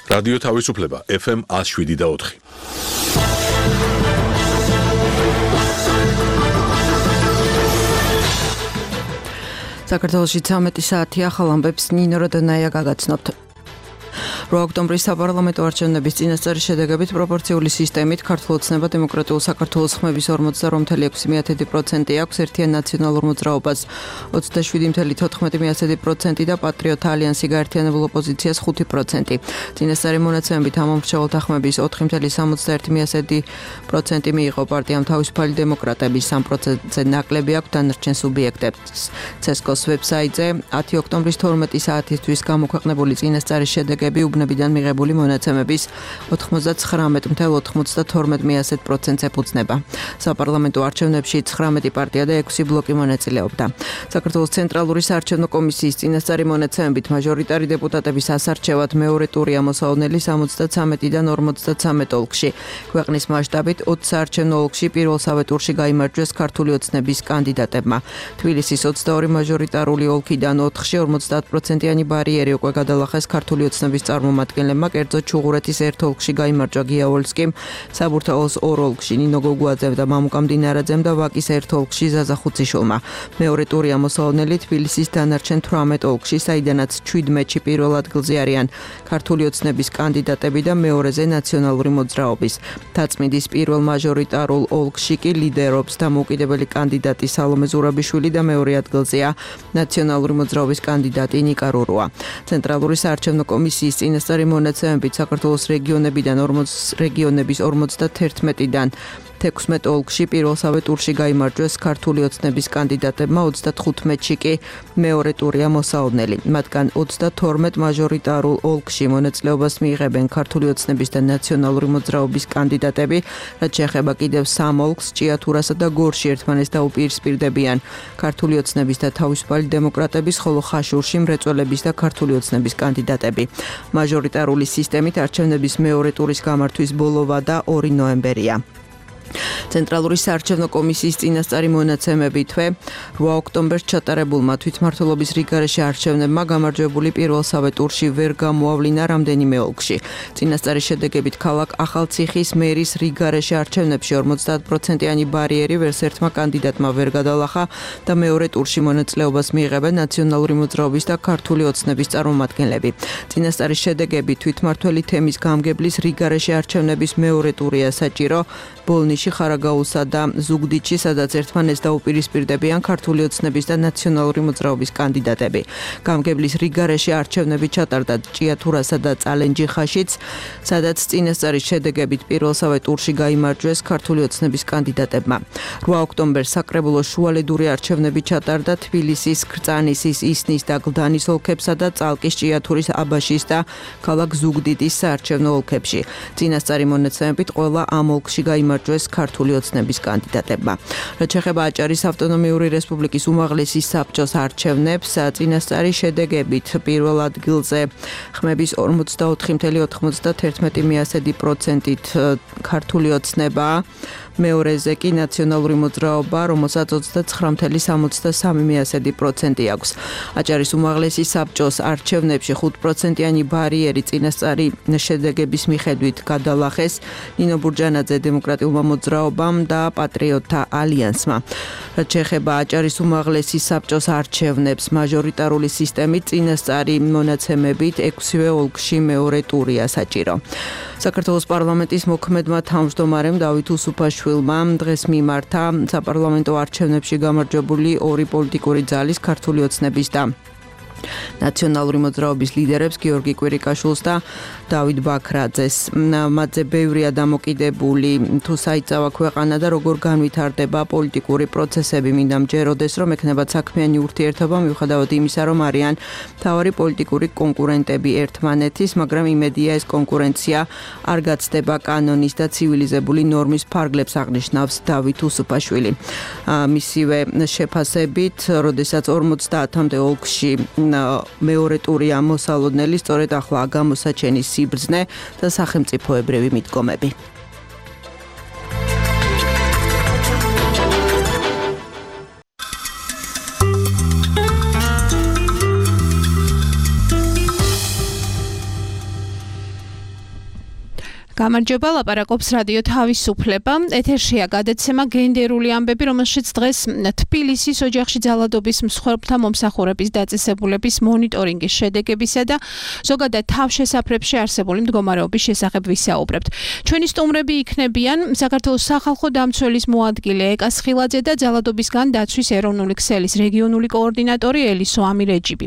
რადიო თავისუფლება FM 107.4. საქართველოში 13 საათი ახალ ამბებს ნინო როდონაია გაგაცნობთ. 8 ოქტომბრის საპარლამენტო არჩევნების წინასწარი შედეგებით პროპორციული სისტემით ქართულ ოცნება დემოკრატიულ საქართველოს ხმების 48.6% აქვს, ერთიან ნაციონალურ მოძრაობას 27.14% და პატრიოტ ალიანსი გაერთიანებულ ოპოზიციას 5%. წინასწარი მონაცემებით ამ მომრჩეველთა ხმების 4.61% მიიღო პარტიამ თავისუფალი დემოკრატები, 3%-ზე ნაკლები აქვს დანარჩენ სუბიექტებს. CESCO-ს ვებსაიტზე 10 ოქტომბრის 12 საათისთვის გამოქვეყნებული წინასწარი შედეგები უბნებიდან მიღებული მონაცემების 99.92%-ს ეფუძნება. საპარლამენტო არჩევნებში 19 პარტია და 6 ბლოკი მონაწილეობდა. საქართველოს ცენტრალური საარჩევნო კომისიის წინასწარი მონაცემებით მაჟორიტარი დეპუტატების ასარჩევად მეორე ტურია მოსაოდნელი 73-დან 53 ოლქში. ქვეყნის მასშტაბით 20 საარჩევნო ოლქში პირველსავე ტურში გაიმარჯვეს ქართული ოცნების კანდიდატებმა. თბილისის 22 მაჟორიტარული ოლქიდან 4-ში 50%-იანი ბარიერი უკვე გადალახეს ქართული ოცნების წარმომადგენლებმა, კერძოდ ჩუღურეთის ერთ ოლქში გაიმარჯვა გიაოლსკიმ, საბურთალოს ორ ოლქში ნინო გოგუაძემ და მამუკა მდინარაძემ და ვაკის ერთ ოლქში ზაზა ხუციშვილმა. მეორე ტურია მოსაოდნელი თბილისის დანარჩენ 18 ოლქში, საიდანაც 17-ში პირველ ადგილზე არიან ქართული ოცნების კანდიდატები და მეორეზე ნაციონალური მოძრაობის. დაწმიდის პირველ მაჟორიტარულ ოლქში კი ლიდერობს დამოუკიდებელი კანდიდატი სალომე ზურაბიშვილი და მეორე ადგილზეა ნაციონალური მოძრაობის კანდიდატი ნიკა რურუა. ცენტრალური საარჩევნო კომისიის წინასწარი მონაცემებით საქართველოს რეგიონების 51-დან 16 ოლქში პირველსავე ტურში გაიმარჯვეს ქართული ოცნების კანდიდატებმა, 35-ში კი მეორე ტურია მოსაოდნელი. მათგან 32 მაჟორიტარულ ოლქში მონაწილეობას მიიღებენ ქართული ოცნების და ნაციონალური მოძრაობის კანდიდატები, რაც შეეხება კიდევ 3 ოლქს, ჭიათურასა და გორში ერთმანეთს დაუპირისპირდებიან ქართული ოცნების და თავისუფალი დემოკრატების, ხოლო ხაშურში მრეწველების და ქართული ოცნების კანდიდატები. მაჟორიტარული სისტემით არჩევნების მეორე ტურის გამართვის ბოლოვა და 2 ნოემბერია. ცენტრალური საარჩევნო კომისიის წინასწარი მონაცემებითვე 8 ოქტომბერს ჩატარებულმა თვითმმართველობის რიგგარეშე არჩევნებმა გამარჯვებული პირველსავე ტურში ვერ გამოავლინა რამდენიმე ოლქში. წინასწარი შედეგებით ქალაქ ახალციხის მერის რიგგარეშე არჩევნებში 50%-იანი ბარიერი ვერცერთმა კანდიდატმა ვერ გადალახა და მეორე ტურში მონაწილეობას მიიღებენ ნაციონალური მოძრაობის და ქართული ოცნების წარმომადგენლები. წინასწარი შედეგები თვითმმართველი თემის გამგებლის რიგგარეშე არჩევნების მეორე ტურია საჭირო ბოლნიში, ხარაგაულსა და ზუგდიდში, სადაც ერთმანეთს დაუპირისპირდებიან ქართული ოცნების და ნაციონალური მოძრაობის კანდიდატები. გამგებლის რიგგარეშე არჩევნები ჩატარდა ჭიათურასა და წალენჯიხაშიც, სადაც წინასწარი შედეგებით პირველსავე ტურში გაიმარჯვეს ქართული ოცნების კანდიდატებმა. 8 ოქტომბერს საკრებულოს შუალედური არჩევნები ჩატარდა თბილისის, ქრწანისის, ისნის და გლდანის ოლქებსა და წალკის, ჭიათურის, აბაშის და ქალაქ ზუგდიდის საარჩევნო ოლქებში. წინასწარი მონაცემებით ყველა ამ ოლქში გაიმარჯვეს ქართული ოცნების კანდიდატებმა. რაც შეეხება აჭარის ავტონომიური რესპუბლიკის უმაღლესი საბჭოს არჩევნებს, წინასწარი შედეგებით პირველ ადგილზე ხმების 44.91%-ით ქართული ოცნება, მეორეზე კი ნაციონალური მოძრაობა, რომელსაც 29.63% აქვს. აჭარის უმაღლესი საბჭოს არჩევნებში 5%-იანი ბარიერი წინასწარი შედეგების მიხედვით გადალახეს ნინო ბურჯანაძე დემოკრატიულმა მოძრაობამ და პატრიოტთა ალიანსმა. რაც შეეხება აჭარის უმაღლესი საბჭოს არჩევნებს, მაჟორიტარული სისტემით წინასწარი მონაცემებით 6 ოლქში მეორე ტურია საჭირო. საქართველოს პარლამენტის მოქმედმა თავმჯდომარემ დავით უსუფაშვილმა დღეს მიმართა საპარლამენტო არჩევნებში გამარჯვებული 2 პოლიტიკური ძალის ქართული ოცნების და ნაციონალური მოძრაობის ლიდერებს გიორგი კვირიკაშვილს და დავით ბაქრაძეს. მათზე ბევრია დამოკიდებული თუ საიწავა ქვეყანა და როგორ განვითარდება პოლიტიკური პროცესები. მინდა მჯეროდეს, რომ ექნებათ საქმიანი ურთიერთობა მიუხედავად იმისა, რომ არიან მთავარი პოლიტიკური კონკურენტები ერთმანეთის, მაგრამ იმედია ეს კონკურენცია არ გაცდება კანონის და ცივილიზებული ნორმის ფარგლებს, აღნიშნავს დავით უსუფაშვილი. მისივე შეფასებით, როდესაც 50-მდე ოლქში მეორე ტურია მოსალოდნელი, სწორედ ახლა გამოსაჩენის სიბრძნე და სახელმწიფოებრივი მიდგომები. გამარჯობა, ლაპარაკობს რადიო თავისუფლება. ეთერშია გადაცემა გენდერული ამბები, რომელშიც დღეს თბილისის ოჯახში ძალადობის მსხვერპლთა მომსახურების დაწესებულების მონიტორინგის შედეგებისა და ზოგადად თავშესაფრებში არსებული მდგომარეობის შესახებ ვისაუბრებთ. ჩვენი სტუმრები იქნებიან საქართველოს სახალხო დამცველის მოადგილე ეკა სხილაძე და ძალადობისგან დაცვის ეროვნული ქსელის რეგიონული კოორდინატორი ელისო ამირეჯიბი.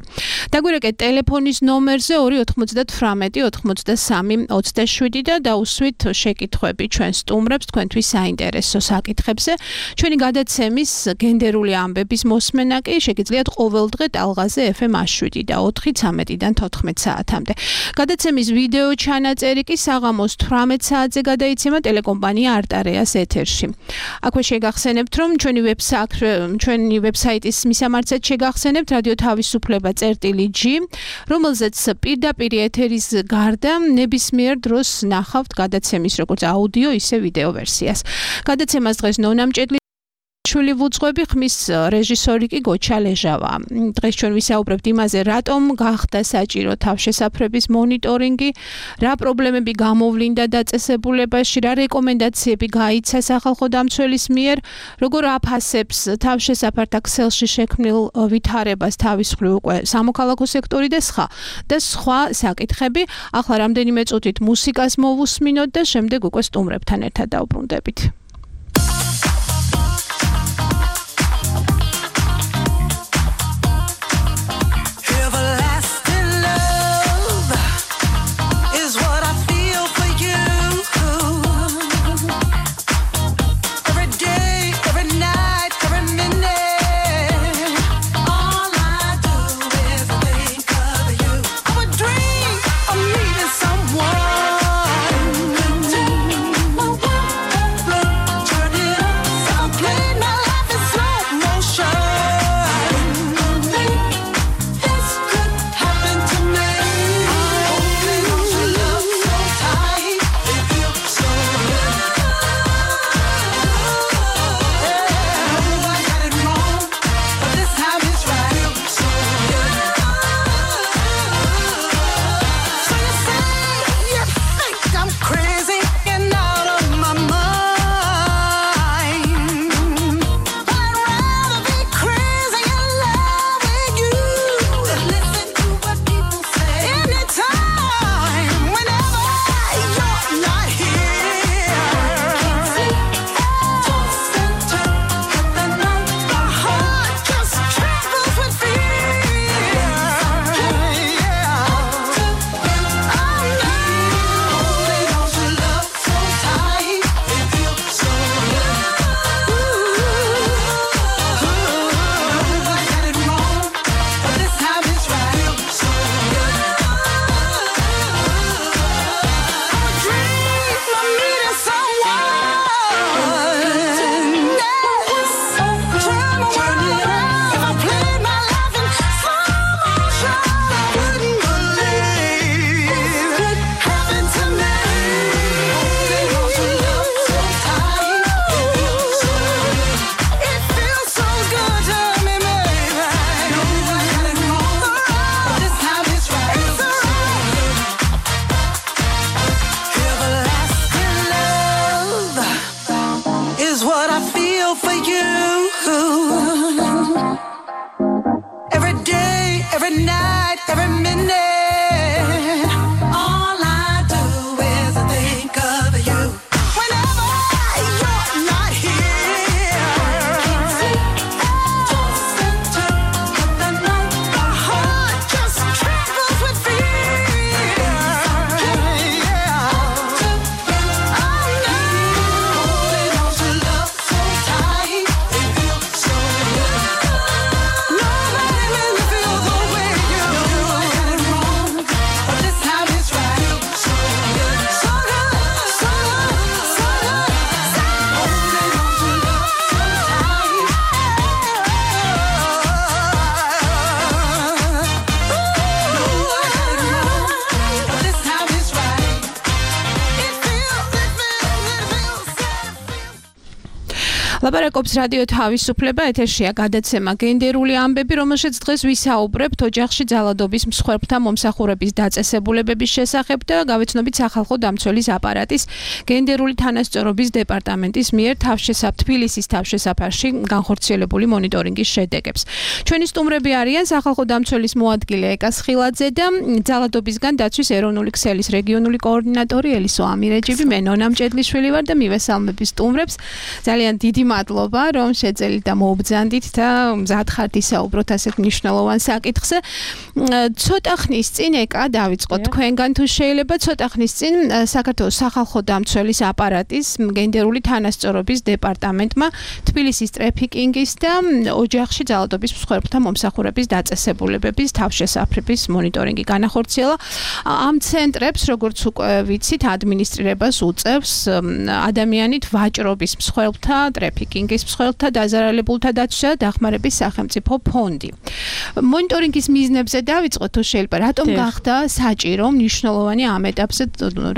დაგვირეკეთ ტელეფონის ნომერზე 298 93 27 და დაუსვით შეკითხვები ჩვენ სტუმრებს თქვენთვის საინტერესო საკითხებზე. ჩვენი გადაცემის გენდერული ამბების მოსმენა კი შეგიძლიათ ყოველდღე ტალღაზე FM 7 და 4 13-დან 14 საათამდე. გადაცემის ვიდეო ჩანაწერი კი საღამოს 18 საათზე გადაიცემა ტელეკომპანია არტარეას ეთერში. აქვე შეგახსენებთ, რომ ჩვენი ვებსაიტის მისამართზე შეგახსენებთ რადიო თავისუფლება.g, რომელზეც პირდაპირ ეთერის გარდა ნებისმიერ დროს ნახავთ გადაცემის როგორც აუდიო, ისე ვიდეო ვერსიას. გადაცემას დღეს ნონა მჭედლიშვილი ვუძღვები, ხმის რეჟისორი კი გოჩა ლეჟავა. დღეს ჩვენ ვისაუბრებთ იმაზე, რატომ გახდა საჭირო თავშესაფრების მონიტორინგი, რა პრობლემები გამოვლინდა დაწესებულებაში, რა რეკომენდაციები გაიცა სახალხო დამცველის მიერ, როგორ აფასებს თავშესაფართა ქსელში შექმნილ ვითარებას თავის მხრივ უკვე სამოქალაქო სექტორი და სხვა საკითხები. ახლა რამდენიმე წუთით მუსიკას მოვუსმინოთ და შემდეგ უკვე სტუმრებთან ერთად დავბრუნდებით. Someone ლაპარაკობს რადიო თავისუფლება, ეთერშია გადაცემა გენდერული ამბები, რომელშიც დღეს ვისაუბრებთ ოჯახში ძალადობის მსხვერპლთა მომსახურების დაწესებულებების შესახებ და გავეცნობით სახალხო დამცველის აპარატის გენდერული თანასწორობის დეპარტამენტის მიერ თბილისის თავშესაფარში განხორციელებული მონიტორინგის შედეგებს. ჩვენი სტუმრები არიან სახალხო დამცველის მოადგილე ეკა სხილაძე და ძალადობისგან დაცვის ეროვნული ქსელის რეგიონული კოორდინატორი ელისო ამირეჯიბი, მე ნონა მჭედლიშვილი ვარ და მივესალმები სტუმრებს. ძალიან დიდი მადლობა, რომ შეძელით და მოუბრძანდით და მზად ხართ ისაუბროთ ასეთ მნიშვნელოვან საკითხზე. ცოტა ხნის წინ ეკა დავიწყოთ თქვენგან თუ შეიძლება ცოტა ხნის წინ საქართველოს სახალხო დამცველის აპარატის გენდერული თანასწორობის დეპარტამენტმა თბილისის ტრაფიკინგის და ოჯახში ძალადობის მსხვერპლთა მომსახურების დაწესებულებების თავშესაფრების მონიტორინგი განახორციელა. ამ ცენტრებს, როგორც უკვე ვიცით, ადმინისტრირებას უწევს ადამიანით ვაჭრობის მსხვერპლთა, ტრაფიკინგის მსხვერპლთა, დაზარალებულთა დაცვისა და დახმარების სახელმწიფო ფონდი. მონიტორინგის მიზნებზე დავიწყოთ თუ შეიძლება, რატომ გახდა საჭირო მნიშვნელოვანი ამ ეტაპზე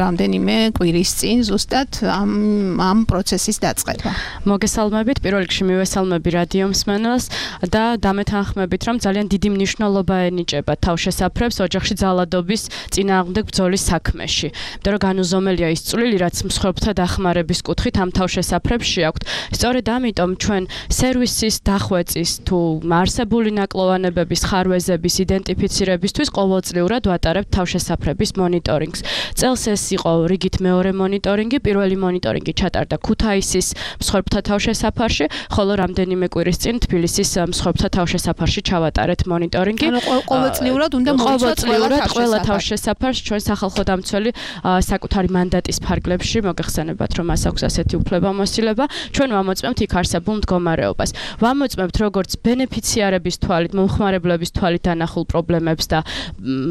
რამდენიმე კვირის წინ ზუსტად ამ პროცესის დაწყება. მოგესალმებით, პირველ რიგში მივესალმები რადიო მსმენელს და დამეთანხმებით, რომ ძალიან დიდი მნიშვნელობა ენიჭება თავშესაფრებს ოჯახში ძალადობის წინააღმდეგ ბრძოლის საქმეში. იმიტომ რომ განუზომელია ის წვლილი, რაც მსხვერპლთა დახმარების კუთხით ამ თავშესაფრებში აქვთ. სწორედ ამიტომ ჩვენ სერვისის დახვეწის თუ არსებული ნაკლოვანებების ხარვეზების იდენტიფიცირებისთვის ყოველწლიურად ვატარებთ თავშესაფრების მონიტორინგს. წელს ეს იყო რიგით მეორე მონიტორინგი, პირველი მონიტორინგი ჩატარდა ქუთაისის მსხვერპლთა თავშესაფარში, ხოლო რამდენიმე კვირის წინ თბილისის მსხვერპლთა თავშესაფარში ჩავატარეთ მონიტორინგი. ანუ ყოველწლიურად უნდა მოვიცოთ ყველა თავშესაფარს ჩვენ სახალხო დამცველი საკუთარი მანდატის ფარგლებში მოგეხსენებათ, რომ მას აქვს ასეთი უფლებამოსილება. ჩვენ ვამოწმებთ იქ არსებულ მდგომარეობას. ვამოწმებთ როგორც ბენეფიციარების თვალით, მომხმარებლების თვალით დანახულ პრობლემებს და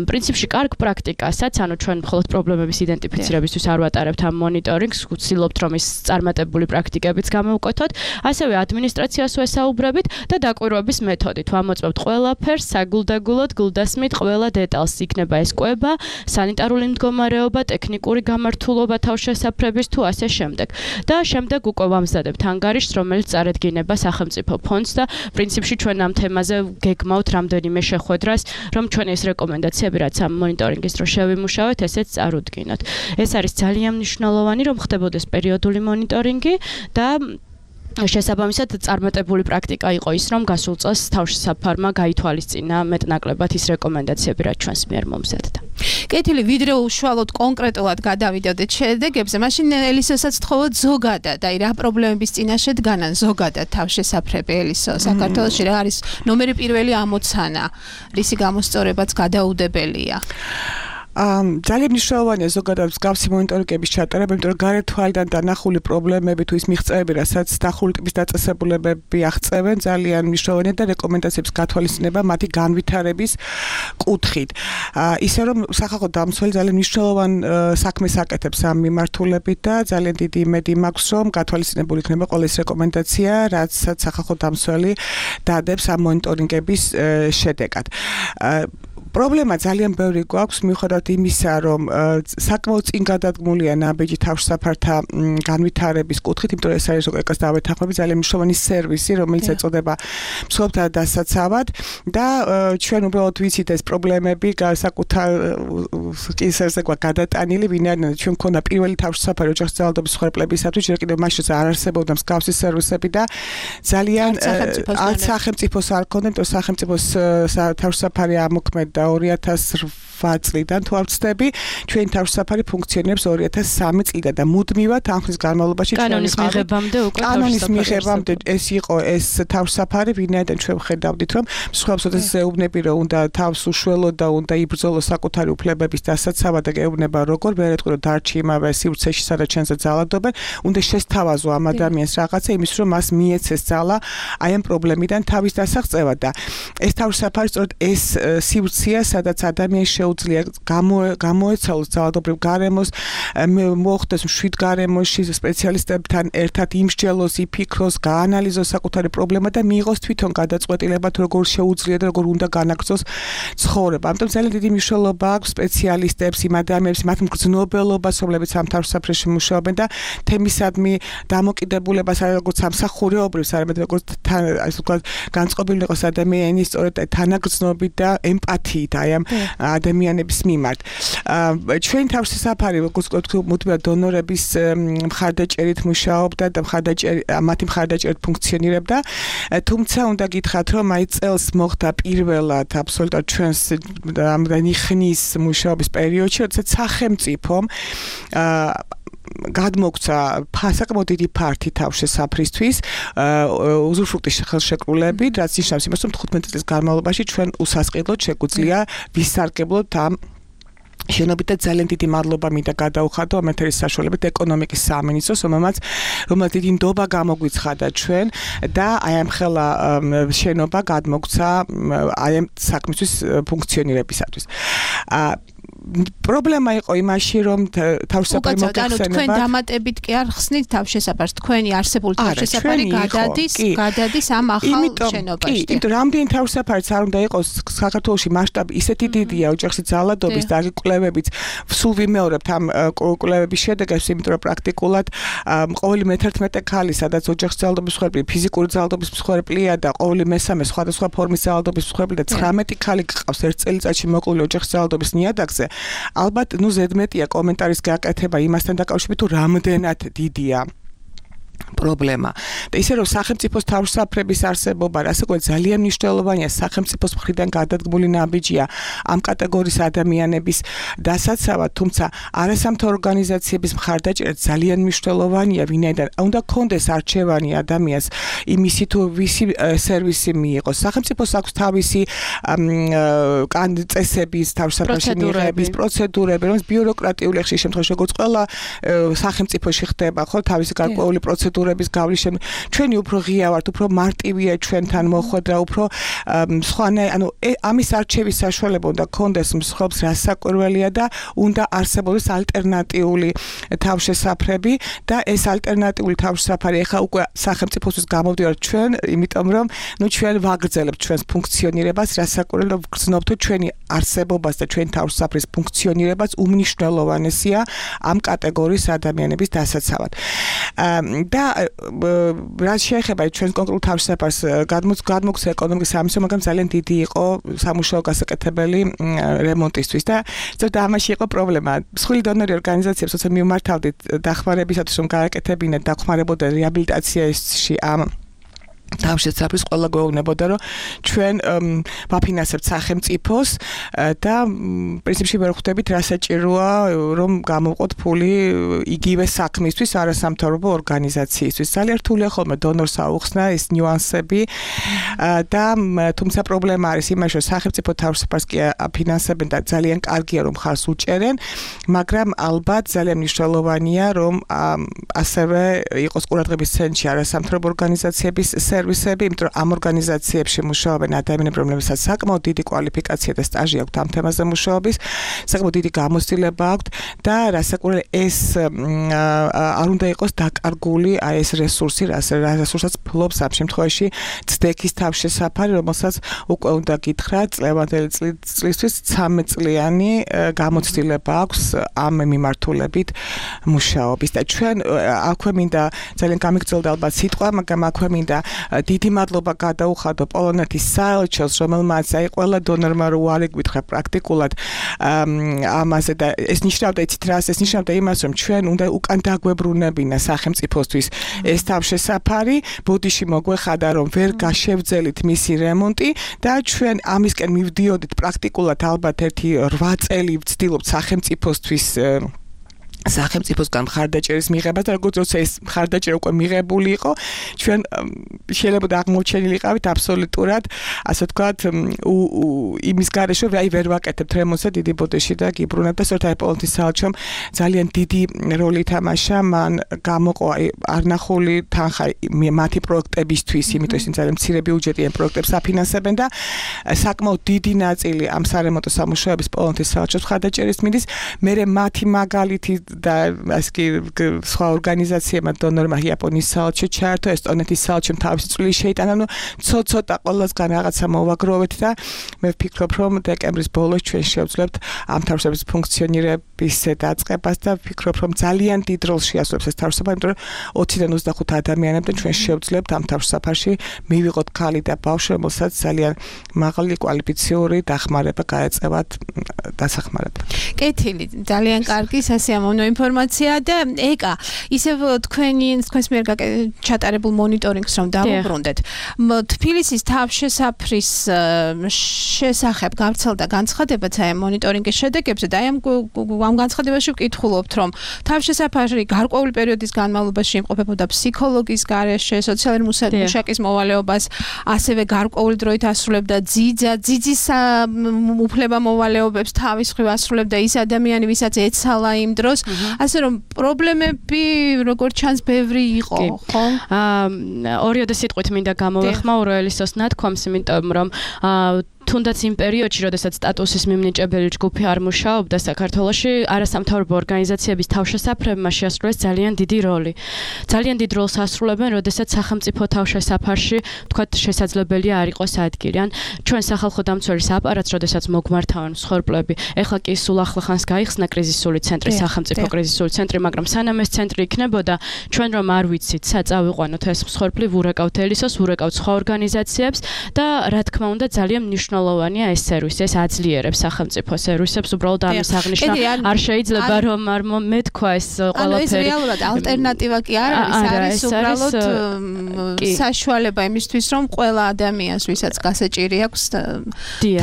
პრინციპში კარგ პრაქტიკასაც, ანუ ჩვენ მხოლოდ პრობლემების იდენტიფიცირებისთვის არ ვატარებთ ამ მონიტორინგს, ვცდილობთ რომ ის წარმატებული პრაქტიკებიც გამოვკვეთოთ, ასევე ადმინისტრაციას ვესაუბრებით და დაკვირვების მეთოდით. ვამოწმებთ ყველაფერს, საგულდაგულოდ, გულდასმით ყველა დეტალს, იქნება ეს კვება, სანიტარული მდგომარეობა, ტექნიკური გამართულობა თავშესაფრების თუ ასე შემდეგ. და შემდეგ უკვე ვამზადებთ ანგარიშს, რომელიც წარედგინება სახელმწიფო ფონდს და პრინციპში ჩვენ ამ თემაზე გეგმავთ რამდენიმე შეხვედრას, რომ ჩვენ ეს რეკომენდაციები, რაც ამ მონიტორინგის დროს შევიმუშავეთ, ესეც წარუდგინოთ. ეს არის ძალიან მნიშვნელოვანი, რომ ხდებოდეს პერიოდული მონიტორინგი და შესაბამისად წარმატებული პრაქტიკა იყო ის, რომ გასულ წელს თავშესაფარმა გაითვალისწინა მეტნაკლებად ის რეკომენდაციები, რაც ჩვენს მიერ მომზადდა. კეთილი, ვიდრე უშუალოდ კონკრეტულად გადავიდოდეთ შედეგებზე, მაშინ ელისოსაც თხოვოთ ზოგადად, აი რა პრობლემების წინაშე დგანან ზოგადად თავშესაფრები ელისო, საქართველოში რა არის ნომერი პირველი ამოცანა, რისი გამოსწორებაც გადაუდებელია. ძალიან მნიშვნელოვანია ზოგადად მსგავსი მონიტორინგების ჩატარება, იმიტომ რომ გარეთ თვალიდან დანახული პრობლემები თუ ის მიღწევები, რასაც დახული ტიპის დაწესებულებები აღწევენ, ძალიან მნიშვნელოვანია და რეკომენდაციების გათვალისწინება მათი განვითარების კუთხით. ისე რომ სახალხო დამცველი ძალიან მნიშვნელოვან საქმეს აკეთებს ამ მიმართულებით და ძალიან დიდი იმედი მაქვს, რომ გათვალისწინებული იქნება ყველა ის რეკომენდაცია, რაცაც სახალხო დამცველი დადებს ამ მონიტორინგების შედეგად. პრობლემა ძალიან ბევრი გვაქვს მიუხედავად იმისა, რომ საკმაოდ წინ გადადგმულია ნაბიჯი თავშესაფართა განვითარების კუთხით, იმიტომ რომ ეს არის ეკას დავეთანხმები ძალიან მნიშვნელოვანი სერვისი, რომელიც ეწოდება მსხვერპლთა დასაცავად და ჩვენ უბრალოდ ვიცით ეს პრობლემები საკუთარ კისერზე გვაქვს გადატანილი, ვინაიდან ჩვენ მქონდა პირველი თავშესაფარი ოჯახის ძალადობის მსხვერპლებისათვის, ჯერ კიდევ მაშინ არ არსებობდა მსგავსი სერვისები და ძალიან არც სახელმწიფოს არ ქონდა, იმიტომ რომ სახელმწიფოს თავშესაფარი ამოქმედა 2008 წლიდან თუ არ ვცდები, ჩვენი თავშესაფარი ფუნქციონირებს 2003 წლიდან და მუდმივად ამ ხნის განმავლობაში კანონის მიღებამდე უკვე კანონის მიღებამდე ეს იყო ეს თავშესაფარი, ვინაიდან ჩვენ ხედავდით, რომ მსხვერპლს ეუბნები, რომ უნდა თავს უშველო და უნდა იბრძოლოს საკუთარი უფლებების დასაცავად და ეუბნება როგორ, ვერეთქვი რომ დარჩი იმავე სივრცეში, სადაც ჩვენზე ძალადობენ, უნდა შესთავაზო ამ ადამიანს რაღაცა იმის, რომ მას მიეცეს ძალა აი ამ პრობლემიდან თავის დასაღწევად და ეს თავშესაფარი სწორედ ეს სივრცეა, სადაც ადამიანს შეუძლია გამოეცალოს ძალადობრივ გარემოს, მოხდეს მშვიდ გარემოში სპეციალისტებთან ერთად იმსჯელოს, იფიქროს, გაანალიზოს საკუთარი პრობლემა და მიიღოს თვითონ გადაწყვეტილება თუ როგორ შეუძლია და როგორ უნდა განაგრძოს ცხოვრება. ამიტომ ძალიან დიდი მნიშვნელობა აქვს სპეციალისტებს, იმ ადამიანებს, მათ მგრძნობელობას, რომლებიც ამ თავშესაფრებში მუშაობენ და თემისადმი დამოკიდებულებას როგორც სამსახურეობრივ, არამედ როგორც ასე ვთქვათ, განწყობილი იყოს ადამიანის სწორედ თანაგრძნობით და ემპათიით აი ამ ადამიანების მიმართ. ჩვენ თავშესაფარი როგორც მუდმივად დონორების მხარდაჭერით მუშაობდა და მათი მხარდაჭერით ფუნქციონირებდა. თუმცა უნდა გითხრათ, რომ აი წელს მოხდა პირველად აბსოლუტურად ჩვენს ამდენი ხნის მუშაობის პერიოდში, როდესაც სახელმწიფომ გადმოგცა საკმაოდ დიდი ფართი თავშესაფრისთვის უზურპტის ხელშეკრულებით, რაც ნიშნავს იმას, რომ 15 წლის განმავლობაში ჩვენ უსასყიდლოდ შეგვიძლია ვისარგებლოთ ამ შენობით და ძალიან დიდი მადლობა მინდა გადაუხადო ამ ეთერის საშუალებით ეკონომიკის სამინისტროს, რომელმაც დიდი ნდობა გამოგვიცხადა ჩვენ და აი ამ ხელა შენობა გადმოგცა აი ამ საქმისთვის ფუნქციონირებისათვის. პრობლემა იყო იმაში, რომ თავშესაფარი მოგეხსენება. თქვენ დამატებით კი არ ხსნით თავშესაფარს, თქვენი არსებული თავშესაფარი გადადის ამ ახალ შენობაში. კი, იმიტომ რამდენი თავშესაფარიც არ უნდა იყოს საქართველოში მასშტაბი ისეთი დიდია ოჯახში ძალადობის და კვლევებიც სულ ვიმეორებთ ამ კვლევების შედეგებს, იმიტომ რომ პრაქტიკულად ყოველი მე-11 ქალი, სადაც ოჯახში ძალადობის მსხვერპლი, ფიზიკური ძალადობის მსხვერპლია და ყოველი მე-3 სხვადასხვა ფორმის ძალადობის მსხვერპლი და 19 ქალი გყავს ერთ წელიწადში მოკლული ოჯახში ძალადობის ნიადაგზე. ალბათ, ზედმეტია კომენტარის გაკეთება იმასთან დაკავშირებით, თუ რამდენად დიდია პრობლემა. და ისე რომ სახელმწიფოს თავშესაფრების არსებობა, რასაც ძალიან მნიშვნელოვანია სახელმწიფოს მხრიდან გადადგმული ნაბიჯია ამ კატეგორიის ადამიანების დასაცავად, თუმცა არასამთავრობო ორგანიზაციების მხარდაჭერა ძალიან მნიშვნელოვანია, ვინაიდან უნდა კონდეს არჩევანი ადამიანს იმისი თუ ვისი სერვისი მიიღოს. სახელმწიფოს აქვს თავისი წესების თავშესაფრში მიღების პროცედურები, რომელიც ბიუროკრატიული ხშირ შემთხვევაში როგორც ყველა სახელმწიფოში ხდება, ხო, თავისი გარკვეული პროცედურების გავლის ჩვენი უფრო ღია ვართ, უფრო მარტივია ჩვენთან მოხვედრა, უფრო სხვანაირი, ანუ ამის არჩევის საშუალება უნდა კონდეს მსხვერპლს, რასაკვირველია და უნდა არსებობდეს ალტერნატიული თავშესაფრები და ეს ალტერნატიული თავშესაფარი ახლა უკვე სახელმწიფოსთვის გამოვდივართ ჩვენ, იმიტომ რომ ჩვენ ვაგრძელებთ ჩვენს ფუნქციონირებას, რასაკვირველია ვგრძნობთ ჩვენი არსებობას და ჩვენი თავშესაფრის ფუნქციონირებას უმნიშვნელოვანესია ამ კატეგორიის ადამიანების დასაცავად. და რაც შეეხება ჩვენს კონკრეტულ თავშესაფარს გადმოგცა ეკონომიკის სამინისტრომ, მაგრამ ძალიან დიდი იყო სამუშაო გასაკეთებელი რემონტისთვის და ზოგადად ამაში იყო პრობლემა. მსხვილი დონორი ორგანიზაციებს როცა მიმართავდით დახმარებისათვის, რომ გააკეთებინათ დახმარებოდა რეაბილიტაციაში ამ თავშესაფრის ყველა გვეუბნებოდა, რომ ჩვენ ვაფინანსებთ სახელმწიფოს და პრინციპში ვერ ხვდებით რა საჭიროა, რომ გამოვყოთ ფული იგივე საქმისთვის არასამთავრობო ორგანიზაციისთვის. ძალიან რთულია ხოლმე დონორს აუხსნა ეს ნიუანსები და თუმცა პრობლემა არის იმაში, რომ სახელმწიფო თავშესაფარს კი აფინანსებენ და ძალიან კარგია, რომ ხარს უჭერენ, მაგრამ ალბათ ძალიან მნიშვნელოვანია, რომ ასევე იყოს ყურადღების ცენტრში არასამთავრობო ორგანიზაციების სერვისები, იმიტომ რომ ამ ორგანიზაციებში მუშაობენ ადამიანები, რომლებსაც საკმაოდ დიდი კვალიფიკაცია და სტაჟი აქვთ ამ თემაზე მუშაობის, საკმაოდ დიდი გამოცდილება აქვთ და რასაკვირველია ეს არ უნდა იყოს დაკარგული აი ეს რესურსი, რესურსაც ფლობს ამ შემთხვევაში ცდექის თავშესაფარი, რომელსაც უკვე უნდა გითხრათ წლევანდელი წლისთვის 13 წლიანი გამოცდილება აქვს ამ მიმართულებით მუშაობის და ჩვენ აქვე მინდა ძალიან გამიგრძელდა ალბათ სიტყვა, მაგრამ აქვე მინდა დიდი მადლობა გადაუხადო პოლონეთის საელჩოს, რომელმაც აი ყველა დონორმა რო არეგვითხრა პრაქტიკულად ამაზე და ეს ნიშნავდა იცით რას, ეს ნიშნავდა იმას, რომ ჩვენ უნდა უკან დაგვებრუნებინა სახელმწიფოსთვის ეს თავშესაფარი, ბოდიში მოგვეხადა, რომ ვერ გაშევძელით მისი რემონტი და ჩვენ ამისკენ მივდიოდით პრაქტიკულად ალბათ ერთი 8 წელი ვცდილობთ სახელმწიფოსთვის სახელმწიფოსგან მხარდაჭერის მიღებას და როგორც როცა ეს მხარდაჭერა უკვე მიღებული იყო, ჩვენ შეიძლება აღმოჩენილიყავით აბსოლუტურად, ასე ვთქვათ, იმის გარეშე, აი ვერ ვაკეთებთ რემონტს დიდი ბოდეში და გიბრუნებთ და სწორედ აი პოლონეთის საელჩომ ძალიან დიდი როლი ითამაშა, მან გამოყო აი არნახული თანხა მათი პროექტებისთვის, იმიტომ რომ ძალიან მცირე ბიუჯეტი ამ პროექტებს აფინანსებენ და საკმაოდ დიდი ნაწილი ამ სარემონტო სამუშაოების პოლონეთის საელჩოს მხარდაჭერის მიდის, მერე მათი მაგალითი და ასკი სხვა ორგანიზაციებმა დონორმა იაპონიის საელჩო ჩაერთო, ესტონეთის საელჩომ თავისი წვლილი შეიტანა, ну ცოტა ყველასგან რაღაცა მოვაგროვეთ და მე ვფიქრობ, რომ დეკემბრის ბოლოს ჩვენ შევძლებთ ამ თავისუფლების ფუნქციონირების დაწყებას და ვფიქრობ, რომ ძალიან დიდ როლს შეასრულებს ეს თავისუფლება, იმიტომ რომ 20-დან 25 ადამიანებთან ჩვენ შევძლებთ ამ თავისუფლებში მივიღოთ ქალი და ბავშვი, რომელსაც ძალიან მაღალი კვალიფიციური დახმარება გაეწევათ დასახმარება. კეთილი, ძალიან კარგი სასიამოვნო ინფორმაცია და ეკა, ისევ თქვენს მიერ ჩატარებულ მონიტორინგს რომ დავუბრუნდეთ. თბილისის თავშესაფრის შესახებ გავრცელდა განცხადებაც აი მონიტორინგის შედეგებზე და აი ამ განცხადებაში ვკითხულობთ, რომ თავშესაფარი გარკვეული პერიოდის განმავლობაში იმყოფებოდა ფსიქოლოგის გარეშე, სოციალური მუშაკის მოვალეობას, ასევე გარკვეული დროით ასრულებდა ძიძის უფლება მოვალეობებს თავის მხრივ ასრულებდა ის ადამიანი, ვისაც ეცალა იმ დროს, ასე რომ პრობლემები როგორც ჩანს ბევრი იყო, ხო? ორიოდე სიტყვით მინდა გამოვეხმაურო ელისოს ნათქვამს, იმიტომ რომ თუნდაც იმ პერიოდში, როდესაც სტატუსის მიმნიჭებელი ჯგუფი არ მუშაობდა საქართველოში, არასამთავრობო ორგანიზაციების თავშესაფრებმა შეასრულეს ძალიან დიდი როლი. ძალიან დიდ როლს ასრულებენ, როდესაც სახელმწიფო თავშესაფარში, თქვათ, შესაძლებელია არ იყოს ადგილი. ან ჩვენ სახალხო დამცველის აპარატს, როდესაც მოგმართავენ მსხვერპლები, ეხლა კი სულ ახლახანს გაიხსნა კრიზისული ცენტრი, სახელმწიფო კრიზისული ცენტრი, მაგრამ სანამ ეს ცენტრი იქნებოდა, ჩვენ რომ არ ვიცით, წავიყვანოთ ეს მსხვერპლი, ვურეკავთ ელისოს, ვურეკავთ სხვა ორგანიზაციებს და რა თქმა უნდა ძალიან მნიშვნელოვანია ეს სერვისი, ეს აძლიერებს სახელმწიფო სერვისებს, უბრალოდ ამის აღნიშვნა არ შეიძლება რომ არ მეთქვა ეს ყველაფერი. ეს რეალურად ალტერნატივა კი არ არის უბრალოდ საშუალება იმისთვის, რომ ყველა ადამიანს, ვისაც გასაჭირი აქვს,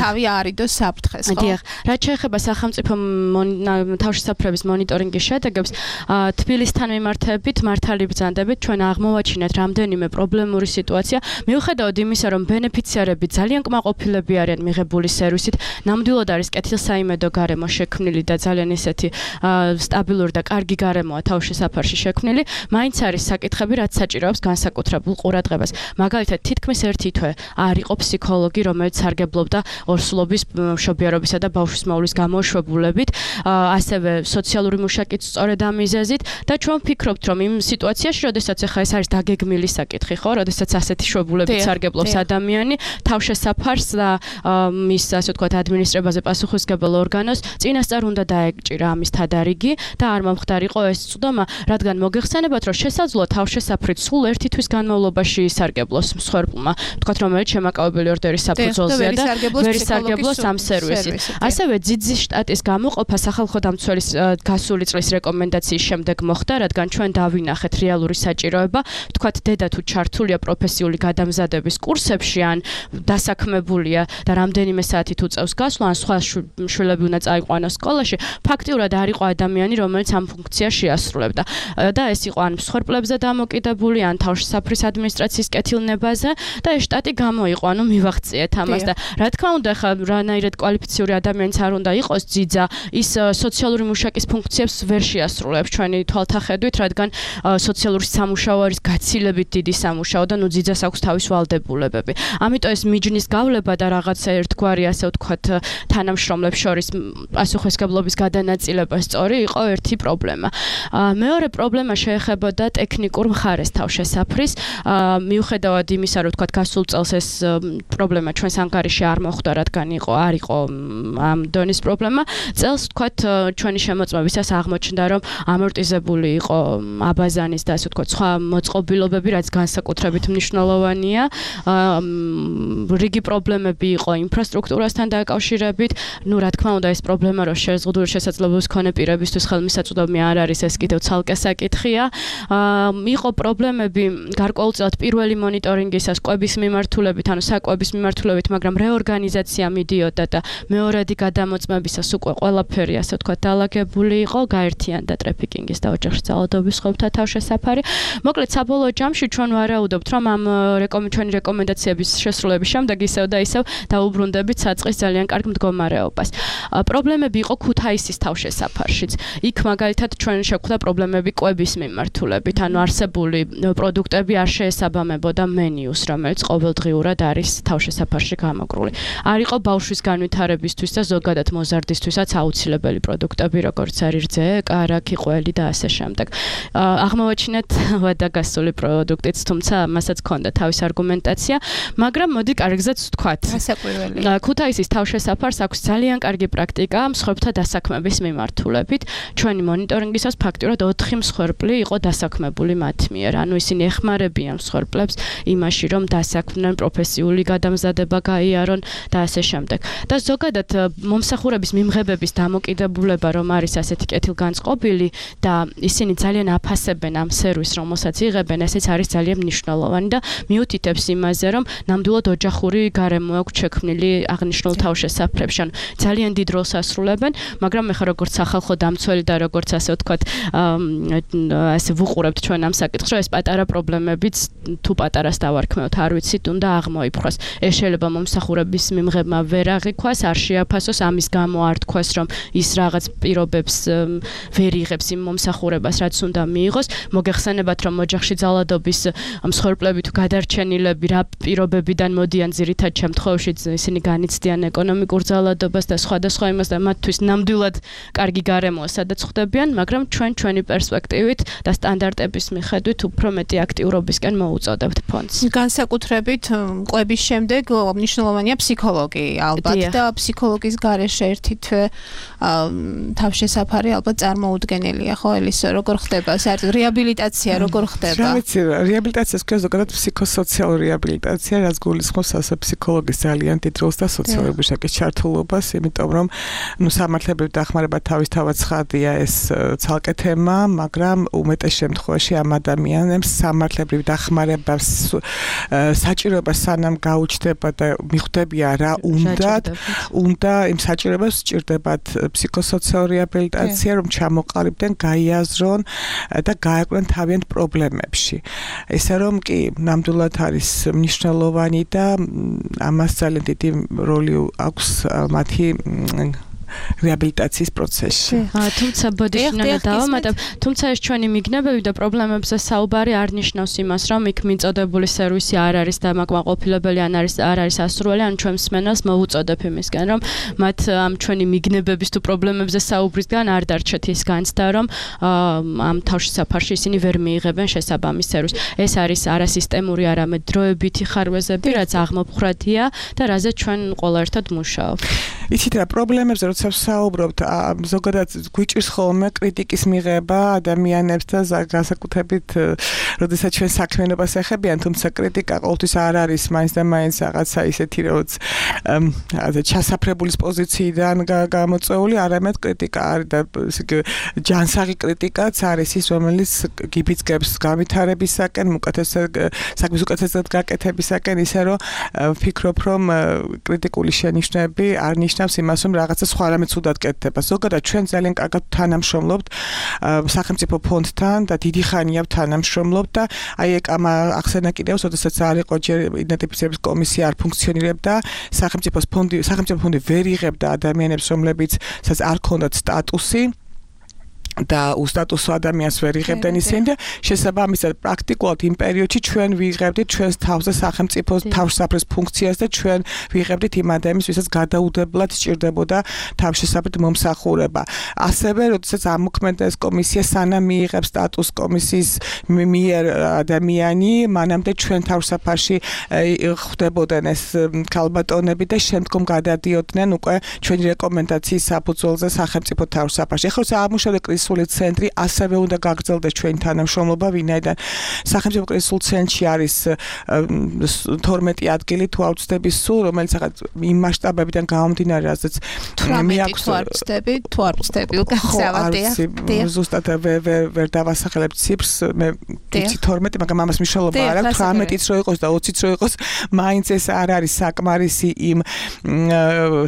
თავი აარიდოს საფრთხეს, ხო? დიახ. რაც შეეხება სახელმწიფო თავშესაფრების მონიტორინგის შედეგებს, თბილისთან მიმართებით, მართალი ბრძანდებით ჩვენ აღმოვაჩინეთ რამდენიმე პრობლემური სიტუაცია, მიუხედავად იმისა, რომ ბენეფიციარები ძალიან კმაყოფილები არიან მიღებული სერვისით, ნამდვილად არის კეთილსაიმედო გარემო შექმნილი და ძალიან ისეთი სტაბილური და კარგი გარემოა თავშესაფარში შექმნილი, მაინც არის საკითხები, რაც საჭიროებს განსაკუთრებულ ყურადღებას. მაგალითად, თითქმის ერთი თვე არ იყო ფსიქოლოგი, რომელიც სარგებლობდა ორსულობის, მშობიარობისა და ბავშვის მოვლის გამოშვებულებით, ასევე სოციალური მუშაკიც სწორედ ამ მიზეზით და ჩვენ ვფიქრობთ, რომ იმ სიტუაციაში, როდესაც ახლა ეს არის დაგეგმილი საკითხი, ხო, როდესაც ასეთი შვებულებით სარგებლობს ადამიანი, თავშესაფარს და მის ასე ვთქვათ ადმინისტრებაზე პასუხისმგებელ ორგანოს წინასწარ უნდა დაეკჭირა ამის თადარიგი და არ მომხდარიყო ეს წვდომა, რადგან მოგეხსენებათ, რომ შესაძლოა თავშესაფრით სულ ერთი თვის განმავლობაში ისარგებლოს მსხვერპლმა, ვთქვათ, რომელიც შემაკავებელი ორდერის საფუძველზეა და ვერ ისარგებლოს ამ სერვისით. ასევე ძიძის შტატის გამოყოფა სახალხო დამცველის გასული წლის რეკომენდაციის შემდეგ მოხდა, რადგან ჩვენ დავინახეთ რეალური საჭიროება, ვთქვათ, დედა თუ ჩართულია პროფესიული გადამზადების კურსებში ან დასაქმებულია და რამდენიმე საათი თუ წევს გასვლა, ან სხვა შვილები უნდა წაიყვანოს სკოლაში, ფაქტიურად არ იყო ადამიანი, რომელიც ამ ფუნქციას შეასრულებდა. და ეს იყო ან მსხვერპლებზე დამოკიდებული, ან თავშესაფრის ადმინისტრაციის კეთილნებაზე და ეს შტატი გამოიყო, ანუ მივახციეთ ამას და რა თქმა უნდა, ხა რანაირად კვალიფიციური ადამიანიც არ უნდა იყოს ძიძა, ის სოციალური მუშაკის ფუნქციებს ვერ შეასრულებს ჩვენი თვალთახედვით, რადგან სოციალური სამუშაო არის გაცილებით დიდი სამუშაო და ნუ ძიძას აქვს თავის ვალდებულებები. ამიტომ ეს მიჯნის გავლება და რაღაცა ერთგვარი, ასე ვთქვათ, თანამშრომლებს შორის პასუხისმგებლობის გადანაწილება სწორი იყო ერთი პრობლემა. მეორე პრობლემა შეეხებოდა ტექნიკურ მხარეს თავშესაფრის, მიუხედავად იმისა, რომ ვთქვათ, გასულ წელს ეს პრობლემა ჩვენს ანგარიში არ მოხდა, რადგან არ იყო ამ დონის პრობლემა. წელს ვთქვათ, ჩვენი შემოწმებისას აღმოჩნდა, რომ ამორტიზებული იყო აბაზანის და ასე ვთქვათ, სხვა მოწყობილობები, რაც განსაკუთრებით მნიშვნელოვანია. რიგი პრობლემები იყო ინფრასტრუქტურასთან დაკავშირებით, ну, რა თქმა უნდა, ეს პრობლემა, რომ შეზღუდული შესაძლებლობის მქონე პირებისთვის ხელმისაწვდომი არ არის, ეს კიდევ ცალკე საკითხია. იყო პრობლემები გარკვეულწილად პირველი მონიტორინგისას კვების მიმართულებით, ანუ საკვების მიმართულებით, მაგრამ რეორგანიზაცია მიდიოდა და მეორადი გადამოწმებისას უკვე ყველაფერი, ასე ვთქვათ, დალაგებული იყო, გაერთიანდა ტრაფიკინგის და ოჯახში ძალადობის სხვებთა თავშესაფარი. მოკლედ, საბოლოო ჯამში ჩვენ ვარაუდობთ, რომ ამ ჩვენი რეკომენდაციების შესრულების შემდეგ ისევ და ისევ დაუბრუნდებით საწყის ძალიან კარგ მდგომარეობას. პრობლემები იყო ქუთაისის თავშესაფარშიც. იქ მაგალითად ჩვენ შეგვხვდა პრობლემები კვების მიმართულებით, ანუ არსებული პროდუქტები არ შეესაბამებოდა მენიუს, რომელიც ყოველდღიურად არის თავშესაფარში გამოგრული. არ იყო ბავშვის განვითარებისთვის და ზოგადად მოზარდისთვისაც აუცილებელი პროდუქტები, როგორც არის რძე, კარაქი, ყველი და ასე შემდეგ. აღმოვაჩინეთ ვადაგასული პროდუქტიც, თუმცა მასაც ჰქონდა თავის არგუმენტაცია, მაგრამ მოდი კარგზეც ვთქვათ. გასაკვირველი. ქუთაისის თავშესაფარს აქვს ძალიან კარგი პრაქტიკა მსხვერპლთა დასაქმების მიმართულებით. ჩვენი მონიტორინგისას ფაქტიურად 4 მსხვერპლი იყო დასაქმებული მათ მიერ. ანუ ისინი ეხმარებიან მსხვერპლებს იმაში, რომ დასაქმდნენ, პროფესიული გადამზადება გაიარონ და ასე შემდეგ. და ზოგადად მომსახურების მიმღებების დამოკიდებულება, რომ არის ასეთი კეთილგანწყობილი და ისინი ძალიან აფასებენ ამ სერვისს, რომელსაც იღებენ, ესეც არის ძალიან მნიშვნელოვანი და მიუთითებს იმაზე, რომ ნამდვილად ოჯახური გარემო აქვს შექმნილი აღნიშნულ თავშესაფრებში. ანუ ძალიან დიდ როლს ასრულებენ, მაგრამ ეხლა როგორც სახალხო დამცველი და როგორც ასე ვთქვათ, ასე ვუყურებთ ჩვენ ამ საკითხს, რომ ეს პატარა პრობლემებიც თუ პატარას დავარქმევთ, არ ვიცით, უნდა აღმოიფხვრას. ეს შეიძლება მომსახურების მიმღებმა ვერ აღიქვას, არ შეაფასოს, ამის გამო არ თქვას, რომ ის რაღაც პირობებს ვერ იღებს იმ მომსახურებას, რაც უნდა მიიღოს. მოგეხსენებათ, რომ ოჯახში ძალადობის მსხვერპლები თუ გადარჩენილები რა პირობებიდან მოდიან ძირითად შემთხვევაში, ისინი განიცდიან ეკონომიკურ ძალადობას და სხვადასხვა იმას და მათთვის ნამდვილად კარგი გარემოა, სადაც ხვდებიან, მაგრამ ჩვენი პერსპექტივით და სტანდარტების მიხედვით უფრო მეტი აქტიურობისკენ მოუწოდებთ ფონდს. განსაკუთრებით კვების შემდეგ მნიშვნელოვანია ფსიქოლოგი ალბათ და ფსიქოლოგის გარეშე ერთი თვე თავშესაფარი ალბათ წარმოუდგენელია, ხო ელისო, როგორ ხდება საერთოდ რეაბილიტაცია, როგორ ხდება? რა ვიცი, რეაბილიტაციას ქვია ზოგადად ფსიქოსოციალური რეაბილიტაცია, რაც გულისხმობს ასე ფსიქოლოგის ძალიან დიდ როლს და სოციალური შეკის ჩართულობას, იმიტომ რომ სამართლებრივი დახმარება თავისთავად ცხადია ეს ცალკე თემა, მაგრამ უმეტეს შემთხვევაში ამ ადამიანებს სამართლებრივი დახმარებას საჭიროება სანამ გაუჩნდება და მიხვდებიან რა უნდა იმ საჭიროებას სჭირდებათ ფსიქოსოციალური რეაბილიტაცია, რომ ჩამოყალიბდნენ, გაიაზრონ და გაეკვნენ თავიანთ პრობლემებში. ესე რომ კი ნამდვილად არის მნიშვნელოვანი და ამას ძალიან დიდი როლი აქვს მათი რეაბილიტაციის პროცესში. თუმცა ბოდიშინალა დავამატებ, თუმცა ეს ჩვენი მიგნებები და პრობლემებზე საუბარი არ ნიშნავს იმას, რომ იქ მიწოდებული სერვისი არ არის დამაკმაყოფილებელი, არ არის ასურველი, ან ჩვენ მსმენელს მოუწოდებ იმისგან, რომ მათ ამ ჩვენი მიგნებების თუ პრობლემებზე საუბრისგან არ დარჩეთ ის განცდა, რომ ამ თავშესაფარში ისინი ვერ მიიღებენ შესაბამის სერვისს. ეს არის არასისტემური, არამედ დროებითი ხარვეზები, რაც აღმოფხრათია და რაზეც ჩვენ ყველა ერთად მუშაობთ. იცით რა, პრობლემებზე როცა ვსაუბრობთ, ზოგადად გვიჭირს ხოლმე კრიტიკის მიღება ადამიანებს და განსაკუთრებით, როდესაც ჩვენ საქმიანობას ეხებიან, თუმცა კრიტიკა ყოველთვის არ არის მაინც და მაინც რაღაცა ისეთი, როგორც ჩასაფრებულის პოზიციიდან გამოწვეული, არამედ კრიტიკა არის და ჯანსაღი კრიტიკაც არის ის, რომელიც გიბიძგებს განვითარებისაკენ, საქმის უკეთესად გაკეთებისაკენ, ისე რომ ვფიქრობ, რომ კრიტიკული შენიშვნები არ ნიშნავს იმას, რომ რაღაცა სხვა რამე ცუდად კეთდება. ზოგადად ჩვენ ძალიან კარგად თანამშრომლობთ სახელმწიფო ფონდთან და დიდი ხანია თანამშრომლობთ და აი ეგ ახსენა კიდევ, როდესაც არ იყო ჯერ იდენტიფიცირების კომისია არ ფუნქციონირებდა, სახელმწიფო ფონდი ვერ იღებდა ადამიანებს, რომლებიც არ ქონდათ სტატუსი და უსტატუსო ადამიანს ვერ იღებდნენ ისინი და შესაბამისად პრაქტიკულად იმ პერიოდში ჩვენ ვიღებდით ჩვენს თავზე სახელმწიფოს თავშესაფრის ფუნქციას და ჩვენ ვიღებდით იმ ადამიანს, ვისაც გადაუდებლად სჭირდებოდა თავშესაფრით მომსახურება. ასევე, როდესაც ამოქმედდა ეს კომისია, სანამ მიიღებს სტატუს კომისიის მიერ ადამიანი, მანამდე ჩვენ თავშესაფარში ხვდებოდნენ ეს ქალბატონები და შემდგომ გადადიოდნენ უკვე ჩვენი რეკომენდაციის საფუძველზე სახელმწიფო თავშესაფარში. ახლა როცა ამუშავდა კრიზის კრიზისული ცენტრი, ასევე უნდა გაგრძელდეს ჩვენი თანამშრომლობა, ვინაიდან სახელმწიფო კრიზისულ ცენტრში არის 12 ადგილი თუ არ ვცდები სულ, რომელიც ახლა იმ მასშტაბებიდან გამომდინარე, რასაც მე აქვს თუ არ ვცდები, გასავადია. ზუსტად ვერ დავასახელებ ციფრს, მე ვიცი 12, მაგრამ ამას მნიშვნელობა არ აქვს, 18-იც რო იყოს და 20-იც რო იყოს, მაინც ეს არ არის საკმარისი იმ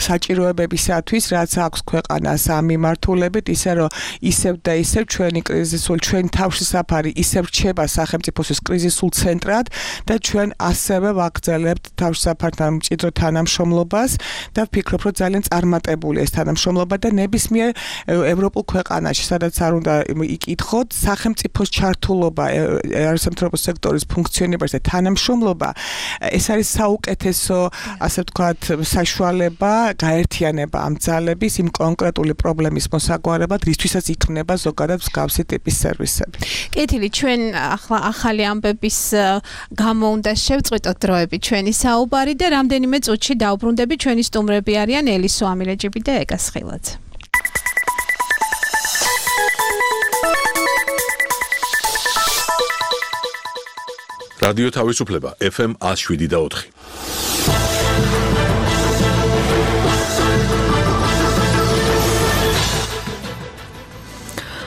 საჭიროებებისათვის, რაც აქვს ქვეყანას ამ მიმართულებით, ისე რომ ისევ და ისევ ჩვენი თავშესაფარი ისევ რჩება სახელმწიფოსთვის კრიზისულ ცენტრად და ჩვენ ასევე ვაგრძელებთ თავშესაფართან მჭიდრო თანამშრომლობას და ვფიქრობ, რომ ძალიან წარმატებული ეს თანამშრომლობა და ნებისმიერ ევროპულ ქვეყანაში, სადაც არ უნდა იკითხოთ, სახელმწიფოს ჩართულობა არასამთავრობო სექტორის ფუნქციონირებაში და თანამშრომლობა, ეს არის საუკეთესო, ასე ვთქვათ, საშუალება გაერთიანება ამ ძალების იმ კონკრეტული პრობლემის მოსაგვარებლად, რისთვისაც იქმნება ზოგადად მსგავსი ტიპის სერვისები. კეთილი, ჩვენ ახლა ახალი ამბების გამო უნდა შევწყვიტოთ დროები ჩვენი საუბარი და რამდენიმე წუთში დავბრუნდები. ჩვენი სტუმრები არიან ელისო ამილეჯიბი და ეკა სხილაძე. რადიო თავისუფლება FM 107.4.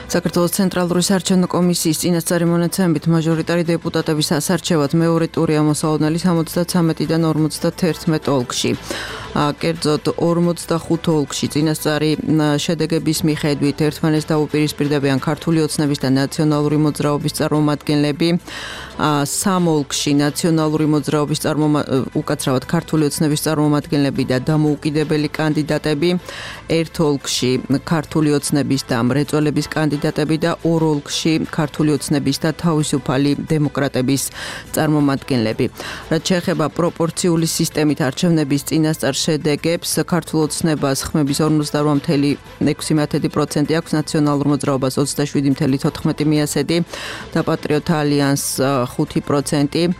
საქართველოს ცენტრალური საარჩევნო კომისიის წინასწარი მონაცემებით მაჟორიტარი დეპუტატების ასარჩევად მეორე ტურია მოსალოდნელი 73-დან 51 ოლქში. კერძოდ 45 ოლქში წინასწარი შედეგების მიხედვით ერთმანეთს დაუპირისპირდებიან ქართული ოცნების და ნაციონალური მოძრაობის წარმომადგენლები. 3 ოლქში ნაციონალური მოძრაობის უკაცრავად ქართული ოცნების წარმომადგენლები და დამოუკიდებელი კანდიდატები. 1 ოლქში ქართული ოცნების და მრეწველების კანდიდატები და 2 ოლქში ქართული ოცნების და თავისუფალი დემოკრატების წარმომადგენლები. რაც შეეხება პროპორციული სისტემით არჩევნების წინასწარ შედეგებს, ქართულ ოცნებას ხმების 48.6% აქვს, ნაციონალურ მოძრაობას 27.14% და პატრიოტ ალიანსს 5%.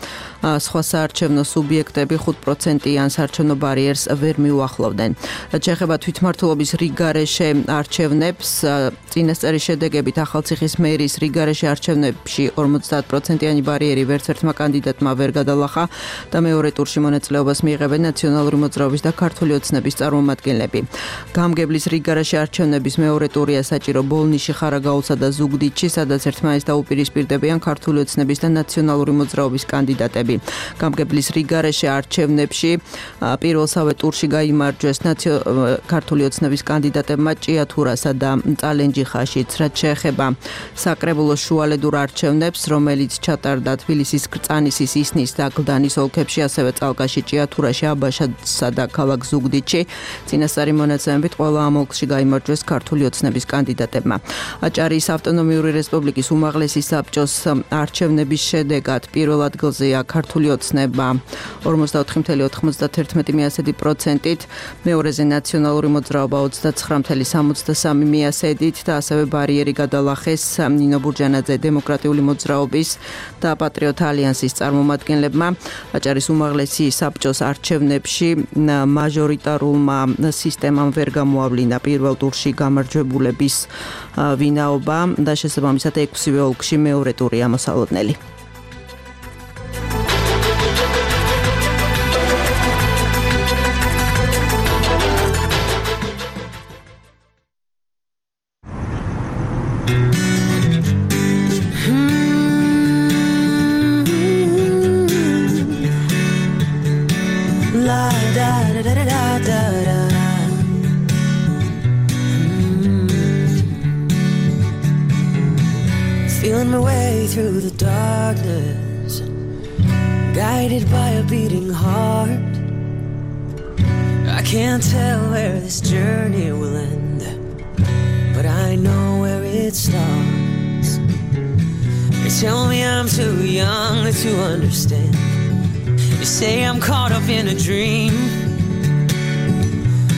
სხვა საარჩევნო სუბიექტები 5%-იან საარჩევნო ბარიერს ვერ მიუახლოვდნენ. რაც შეეხება თვითმმართველობის რიგარეშე არჩევნებს, წინასწარი შედეგებით ახალციხის მერის რიგარეშე არჩევნებში 50%-იანი ბარიერი ვერცერთმა კანდიდატმა ვერ გადალახა და მეორე ტურში მონაწილეობას მიიღებენ ნაციონალური მოძრაობის და ქართული ოცნების წარმომადგენლები. გამგებლის რიგარეშე არჩევნების მეორე ტურია საჭირო ბოლნიში, ხარაგაულსა და ზუგდიდში, სადაც ერთმანეთს დაუპირისპირდებიან ქართული ოცნების და ნაციონალური მოძრაობის კანდიდატები. გამგებლის რიგარეშე არჩევნებში პირველსავე ტურში გაიმარჯვეს ქართული ოცნების კანდიდატებმა ჭიათურასა და წალენჯიხაშიც. რაც შეეხება საკრებულოს შუალედურ არჩევნებს, რომელიც ჩატარდა თბილისის, კრწანისის, ისნის და გლდანის ოლქებში, ასევე წალკაში, ჭიათურაში, აბაშადსა და ქალაქ ზუგდიდში, წინასწარი მონაცემებით ყველა ამ ოლქში გაიმარჯვეს ქართული ოცნების კანდიდატებმა. აჭარიის ავტონომიური რესპუბლიკის უმაღლესი საბჭოს არჩევნების შედეგად პირველ ადგილზეა ქართული ოცნება 44.91%-ით, მეორეზე ნაციონალური მოძრაობა 29.63%-ით და ასევე ბარიერი გადალახეს ნინო ბურჯანაძე დემოკრატიული მოძრაობის და პატრიოტ ალიანსის წარმომადგენლებმა. აჭარის უმაღლესი საბჭოს არჩევნებში მაჟორიტარულმა სისტემამ ვერ გამოავლინა პირველ ტურში გამარჯვებულების ვინაობა და შესაბამისად 6 ოლქში მეორე ტურია მოსალოდნელი. Feeling my way through the darkness, guided by a beating heart. I can't tell where this journey will end, but I know where it starts. They tell me I'm too young to understand. They say I'm caught up in a dream,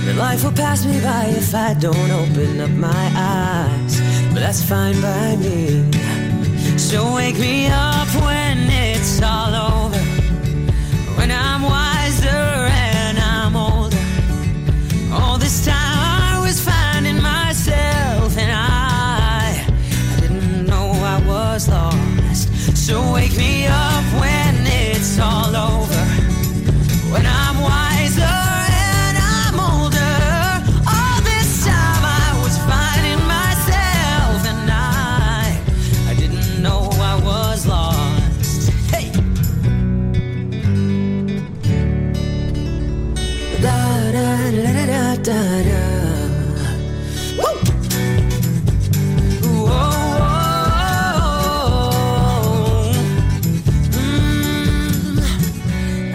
that life will pass me by if I don't open up my eyes, but that's fine by me. So wake me up when it's all over, when I'm wiser and I'm older. All this time I was finding myself and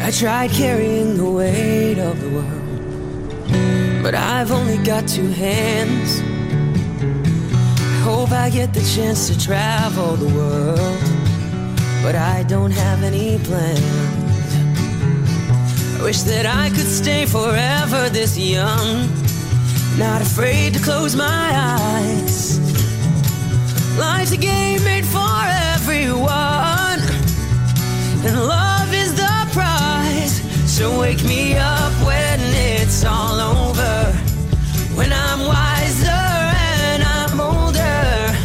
I tried carrying the weight of the world, but I've only got two hands. I hope I get the chance to travel the world, but I don't have any plans. I wish that I could stay forever this young, not afraid to close my eyes. Life's a game made for everyone, and love is the prize. So wake me up when it's all over, when I'm wiser and I'm older.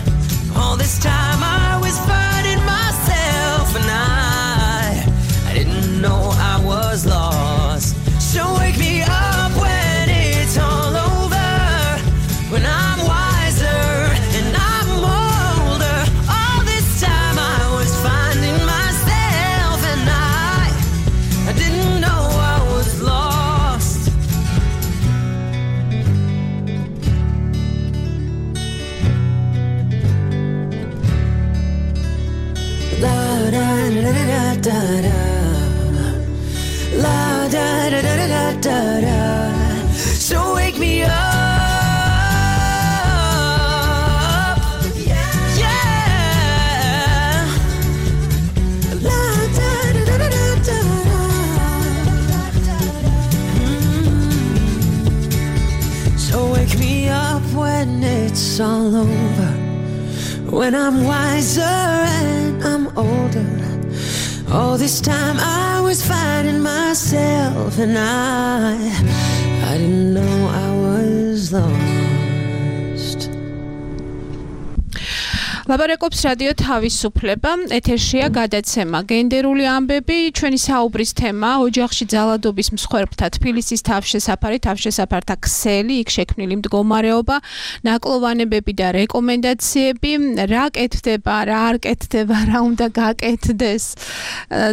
All this time I was fighting myself, and I didn't know I was lost. So wake me up when it's all over, when I'm wiser and I'm older. All this time I was finding myself, and I didn't know I was lost. La da da da da da, la da da da da da da. So wake me up. When it's all over, when I'm wiser and I'm older. All this time I was fighting myself, and I didn't know I was lost. ლაბარაკობს რადიო თავისუფლება, ეთერშია გადაცემა გენდერული ამბები, ჩვენი საუბრის თემა ოჯახში ძალადობის მსხვერპლთა თბილისის თავშესაფართა ქსელი, იქ შექმნილი მდგომარეობა, ნაკლოვანებები და რეკომენდაციები, რა კეთდება, რა არ კეთდება, რა უნდა გაკეთდეს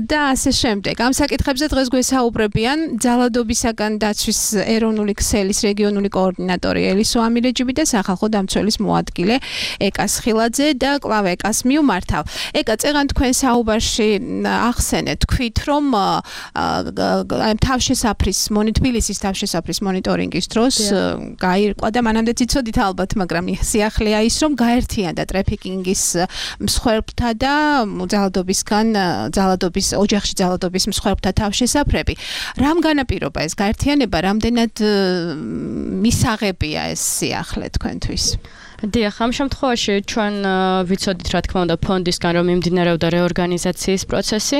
და ასე შემდეგ. ამ საკითხებზე დღეს გვესაუბრებიან ძალადობისაგან დაცვის ეროვნული ქსელის რეგიონული კოორდინატორი ელისო ამირეჯიბი და სახალხო დამცველის მოადგილე ეკა სხილაძე და კლავ ეკას მიუმართავ. ეკა, წეგან თქვენ საუბარში ახსენეთ, თქვით, რომ თბილისის თავშესაფრის მონიტორინგის დროს გაირკვა და მანამდეც იცოდით ალბათ, მაგრამ სიახლეა ის, რომ გაერთიანდა ტრაფიკინგის მსხვერპლთა და ოჯახში ძალადობის მსხვერპლთა თავშესაფრები. რამ განაპირობა ეს გაერთიანება, რამდენად მისაღებია ეს სიახლე თქვენთვის? დიახ, ამ შემთხვევაში ჩვენ ვიცოდით, რა თქმა უნდა, ფონდისგან რომ მიმდინარეობდა რეორგანიზაციის პროცესი,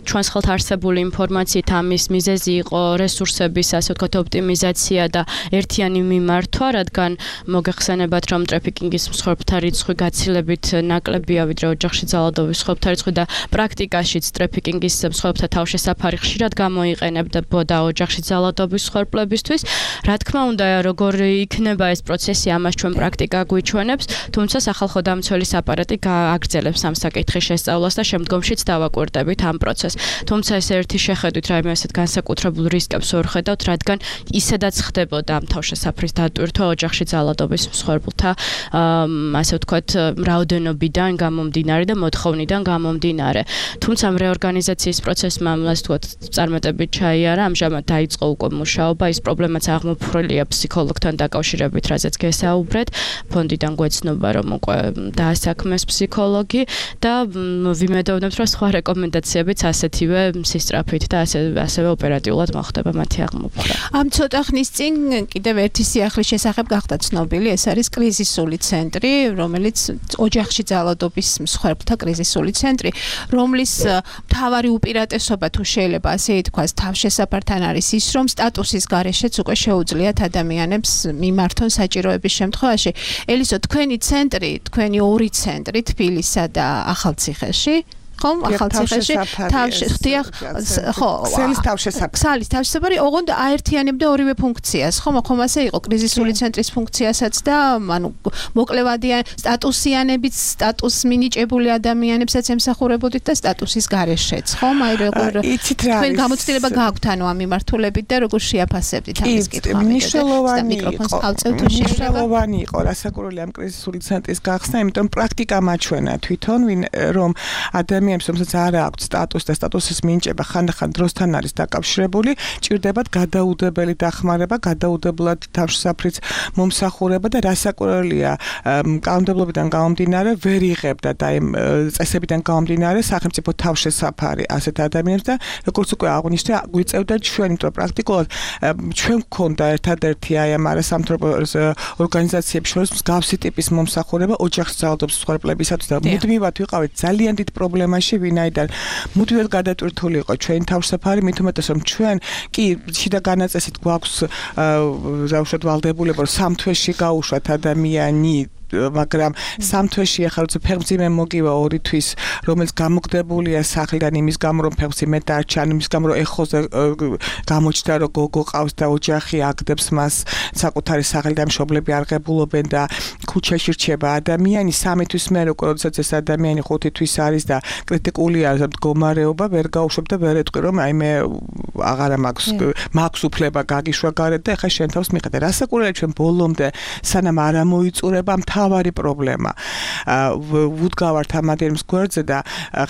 ჩვენს ხელთ არსებული ინფორმაციით ამის მიზეზი იყო რესურსების, ასე ვთქვათ, ოპტიმიზაცია და ერთიანი მიმართვა, რადგან მოგეხსენებათ, რომ ტრაფიკინგის მსხვერპლთა რიცხვი გაცილებით ნაკლებია, ვიდრე ოჯახში ძალადობის მსხვერპლთა რიცხვი და პრაქტიკაშიც ტრაფიკინგის მსხვერპლთა თავშესაფარი ხშირად გამოიყენებოდა ოჯახში ძალადობის მსხვერპლებისთვის. რა თქმა უნდა, როგორ იქნება ეს პროცესი, ამას ჩვენ პრაქტიკა გვიჩვენებს, თუმცა სახალხო დამცველის აპარატი გააგრძელებს ამ საკითხის შესწავლას და შემდგომშიც დავაკვირდებით ამ პროცესს. თუმცა ეს ერთი შეხედვით რაიმე ასეთ განსაკუთრებულ რისკებს ვერ ხედავთ, რადგან ისედაც ხდებოდა ამ თავშესაფრის დატვირთვა ოჯახში ძალადობის მსხვერპლთა, ასე ვთქვათ, რაოდენობიდან გამომდინარე და მოთხოვნიდან გამომდინარე. თუმცა ამ რეორგანიზაციის პროცესმა, ასე ვთქვათ, წარმატებით ჩაიარა, ამჟამად დაიწყო უკვე მუშაობა, ის პრობლემაც აღმოფხვრილია ფსიქოლოგთან დაკავშირებით, რაზეც გესაუბრეთ. ფონდიდან გვეცნობა, რომ უკვე დაასაქმეს ფსიქოლოგი და ვიმედოვნებთ, რომ სხვა რეკომენდაციებიც ასეთივე სისწრაფით და ასევე ოპერატიულად მოხდება მათი აღმოფხვრა. ამ ცოტა ხნის წინ კიდევ ერთი სიახლის შესახებ გახდა ცნობილი, ეს არის კრიზისული ცენტრი, რომელიც ოჯახში ძალადობის მსხვერპლთა კრიზისული ცენტრი, რომლის მთავარი უპირატესობა, თუ შეიძლება ასე ითქვას, თავშესაფართან არის ის, რომ სტატუსის გარეშეც უკვე შეუძლიათ ადამიანებს მიმართონ საჭიროების შემთხვევაში. ელისო, თქვენი ცენტრი, თქვენი ორი ცენტრი თბილისსა და ახალციხეში ხომ? ახალციხეში ხდიან ხო, ქსელის თავშესაფარი. ქსელის თავშესაფარი ოღონდ აერთიანებდა ორივე ფუნქციას, ხომ? ხომ ასე იყო კრიზისული ცენტრის ფუნქციასაც და ანუ მოკლევადიან სტატუსიანებით სტატუს მინიჭებული ადამიანებსაც ემსახურებოდით და სტატუსის გარეშეც, ხომ? აი როგორ თქვენ გამოცდილება გაქვთ ანუ ამ მიმართულებით და როგორ შეაფასებდით ამის კითხვა? მიკროფონს ავწევთ თუ მნიშვნელოვანი იყო რასაკვირველი ამ კრიზისული ცენტრის გახსნა, იმიტომ პრაქტიკა მაჩვენა თვითონ რომ ადამიანებს რომელსაც არ აქვს სტატუსი და სტატუსის მინიჭება ხანდახან დროსთან არის დაკავშირებული, ჭირდებათ გადაუდებელი დახმარება, გადაუდებლად თავშესაფრის მომსახურება და რასაკვირველია კანონმდებლობიდან გამომდინარე ვერ იღებდა და იმ წესებიდან გამომდინარე სახელმწიფო თავშესაფარი ასეთ ადამიანებს და როგორც უკვე აღნიშნე გვიწევდა ჩვენ, იმიტომ პრაქტიკულად ჩვენ გვქონდა ერთადერთი აი ამ არასამთავრობო ორგანიზაციების შორის მსგავსი ტიპის მომსახურება ოჯახის ძალადობის მსხვერპლებისათვის და მუდმივად ვიყავით ძალიან დიდ პრობლემაში, ვინაიდან მუდმივად გადატვირთული იყო ჩვენი თავშესაფარი, მით უმეტეს რომ ჩვენ კი შიდა განაწესით გვაქვს უშუალოდ ვალდებულება რომ 3 თვეში გაუშვათ ადამიანი მაგრამ 3 თვეში ახლა როცა ფეხმძიმე მოგივა 2 თვის რომელიც გამოგდებულია სახლიდან იმის გამო რომ ფეხმძიმე დარჩა იმის გამო რომ ეხოზე გამოჩნდა რომ გოგო ყავს და ოჯახი აგდებს მას საკუთარი სახლიდან მშობლები არღებულობენ და ქუჩაში რჩება ადამიანი 3 თვის მერე უკვე როდესაც ეს ადამიანი 5 თვის არის და კრიტიკულია მდგომარეობა ვერ გაუშვებ და ვერ ეტყვი რომ აი მე აღარა მაქვს უფლება გაგიშვა გარეთ და ეხლა შენ თავს მიხედე რასაკვირველია ჩვენ ბოლომდე სანამ არ ამოიწურება მთავარი პრობლემა ვუდგავართ ამ ადამიანის გვერდზე და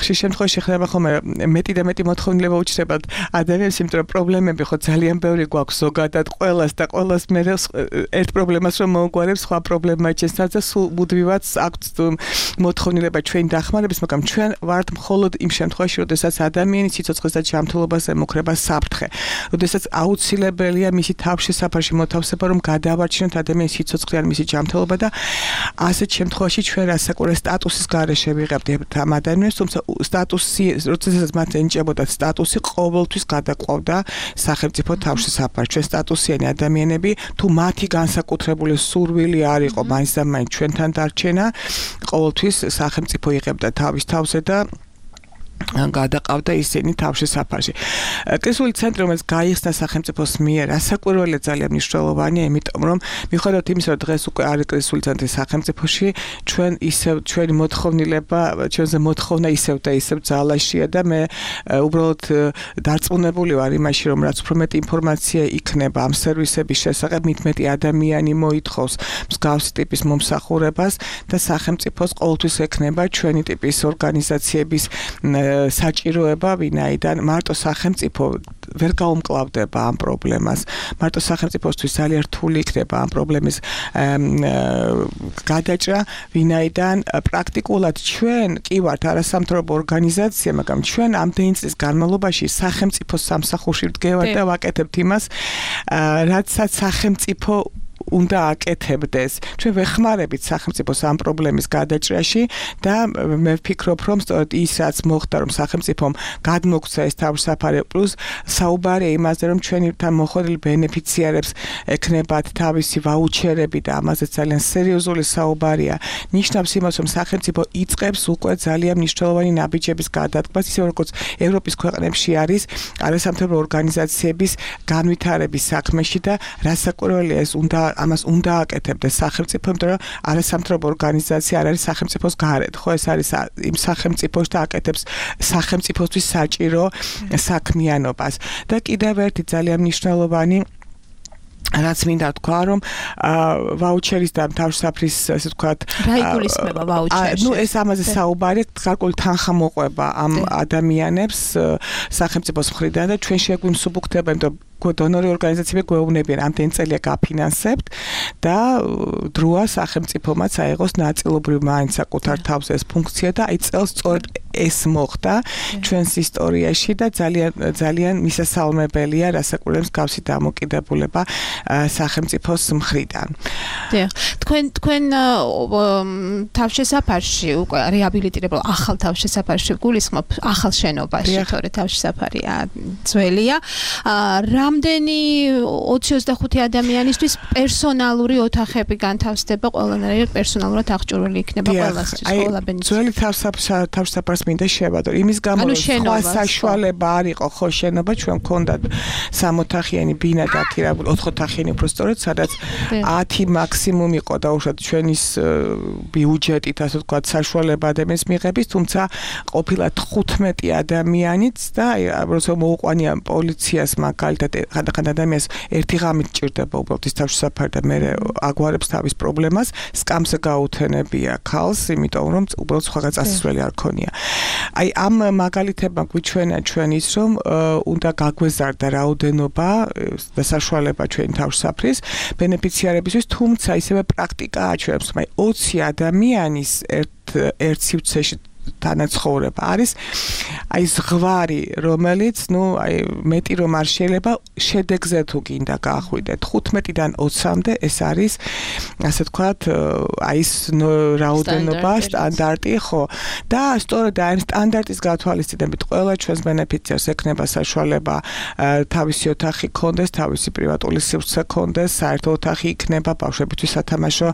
ხშირ შემთხვევაში ხდება ხოლმე მეტი და მეტი მოთხოვნილება უჩნდებათ ადამიანებს, იმიტომ რომ პრობლემები ხო ძალიან ბევრი გვაქვს ზოგადად ყველას და ყველას მე ერთ პრობლემას რომ მოუგვარებს სხვა პრობლემა ჩესნას და სულ მუდმივად აქვს მოთხოვნილება ჩვენი დახმარების, მაგრამ ჩვენ ვართ მხოლოდ იმ შემთხვევაში, როდესაც ადამიანის სიცოცხლეს და ჯანმრთელობას ემუქრება საფრთხე, როდესაც აუცილებელია მისი თავშესაფარში მოთავსება, რომ გადაავარჩინოთ ადამიანის სიცოცხლე ან მისი ჯანმრთელობა და ასეთ შემთხვევაში ჩვენ რასაკვირველ სტატუსის გარეშე ვიღებთ ამ ადამიანებს, თუმცა სტატუსი, როდესაც მათ ენიჭებოდათ სტატუსი, ყოველთვის გადაყვავდა სახელმწიფო თავშესაფარს. ჩვენ სტატუსიანი ადამიანები, თუ მათი განსაკუთრებული სურვილი არ იყო მაინც და მაინც ჩვენთან დარჩენა, ყოველთვის სახელმწიფო იღებდა თავის თავზე და გადაყავდა ისინი თავშესაფარში. კრიზისული ცენტრი რომელიც გაიხსნა სახელმწიფოს მიერ, რასაკვირველია ძალიან მნიშვნელოვანია, იმიტომ რომ მიუხედავად იმისა, რომ დღეს უკვე არის კრიზისული ცენტრი სახელმწიფოში, ჩვენ ისევ ჩვენი მოთხოვნილება, ჩვენზე მოთხოვნა ისევ და ისევ ძალაშია და მე უბრალოდ დარწმუნებული ვარ იმაში, რომ რაც უფრო მეტი ინფორმაცია იქნება ამ სერვისების შესახებ, მით მეტი ადამიანი მოითხოვს მსგავსი ტიპის მომსახურებას და სახელმწიფოს ყოველთვის ექნება ჩვენი ტიპის ორგანიზაციების საჭიროება, ვინაიდან მარტო სახელმწიფო ვერ გაუმკლავდება ამ პრობლემას. მარტო სახელმწიფოსთვის ძალიან რთული იქნება ამ პრობლემის გადაჭრა, ვინაიდან პრაქტიკულად ჩვენ კი ვართ არასამთავრობო ორგანიზაცია, მაგრამ ჩვენ ამდენი წლის განმავლობაში სახელმწიფოს სამსახურში ვდგევართ და ვაკეთებთ იმას, რაცაც სახელმწიფო უნდა აკეთებდეს. ჩვენ ვეხმარებით სახელმწიფოს ამ პრობლემის გადაჭრაში და მე ვფიქრობ, რომ სწორედ ის რაც მოხდა, რომ სახელმწიფომ გადმოგცა ეს თავშესაფარი, პლუს საუბარია იმაზე, რომ ჩვენთან მოხვედრილ ბენეფიციარებს ექნებათ თავისი ვაუჩერები და ამაზე ძალიან სერიოზული საუბარია. ნიშნავს იმას, რომ სახელმწიფო იწყებს უკვე ძალიან მნიშვნელოვანი ნაბიჯების გადადგმას, ისე როგორც ევროპის ქვეყნებში არის არასამთავრობო ორგანიზაციების განვითარების საქმეში და რასაკვირველია ეს ამას უნდა აკეთებდეს სახელმწიფო, იმიტომ რომ არასამთავრობო ორგანიზაცია არ არის სახელმწიფოს გარეთ, ხო ეს არის იმ სახელმწიფოს და აკეთებს სახელმწიფოსთვის საჭირო საქმიანობას. და კიდევ ერთი ძალიან მნიშვნელოვანი რაც მინდა თქვა, რომ ვაუჩერის და თავშესაფრის, ასე ვთქვათ, რა იგულისხმება ვაუჩერში? ეს ამაზე საუბარი, გარკვეული თანხა მოყვება ამ ადამიანებს სახელმწიფოს მხრიდან და ჩვენ შეგვიმსუბუქდება, იმიტომ დონორი ორგანიზაციები გვეუბნებიან, ამდენი წელია გაფინანსებთ და დროა სახელმწიფომაც აიღოს ნაწილობრივ მაინც საკუთარ თავზე ეს ფუნქცია და აი წელს სწორედ ეს მოხდა ჩვენს ისტორიაში და ძალიან მისასალმებელია რასაკვირველია მსგავსი დამოკიდებულება სახელმწიფოს მხრიდან. თქვენ თავშესაფარში უკვე რეაბილიტირებულ ახალ თავშესაფარში გულისხმობ ახალ შენობაში, თორე თავშესაფარია ძველია. რა რამდენი 20-25 ადამიანისთვის პერსონალური ოთახები განთავსდება, ყველანაირად პერსონალურად აღჭურვილი იქნება ყველასთვის, ყველაბენის. ძველი თავშესაფარს მინდა შევადო. იმის გამო რომ სხვა საშუალება არ იყო ხო შენობა ჩვენ გქონდათ 3 ოთახიანი ბინა დაქირავებული 4 ოთახიანი უბრალოდ სადაც 10 მაქსიმუმ იყო დაუშვათ ჩვენის ბიუჯეტით ასე ვთქვათ საშუალება ადამიანის მიღების, თუმცა ყოფილა 15 ადამიანიც და როცა მოუყვანია პოლიციას მაგალითად ხანდახან ადამიანს ერთი ღამით ჭირდება უბრალოდ ის თავშესაფარი და მე აგვარებს თავის პრობლემას, სკამს გაუთენებია ქალს, იმიტომ რომ უბრალოდ სხვაგან წასასვლელი არ ქონია. აი ამ მაგალითებმა გვიჩვენა ჩვენ ის რომ უნდა გაგვეზარდა რაოდენობა და საშუალება ჩვენი თავშესაფრის ბენეფიციარებისთვის, თუმცა ისევე პრაქტიკაა ჩვენს, აი 20 ადამიანის ერთ სივრცეში თანაცხოვრება არის აი ზღვარი, რომელიც აი მეტი რომ არ შეიძლება შედეგზე თუ გინდა გაახვიდეთ 15-დან 20-მდე ეს არის ასე ვთქვათ აი ეს რაოდენობა სტანდარტი ხო და სწორედ აი სტანდარტის გათვალისწინებით ყველა ჩვენს ბენეფიციარს ექნება საშუალება თავისი ოთახი ქონდეს, თავისი პრივატული სივრცე ქონდეს, საერთო ოთახი იქნება, ბავშვებისთვის სათამაშო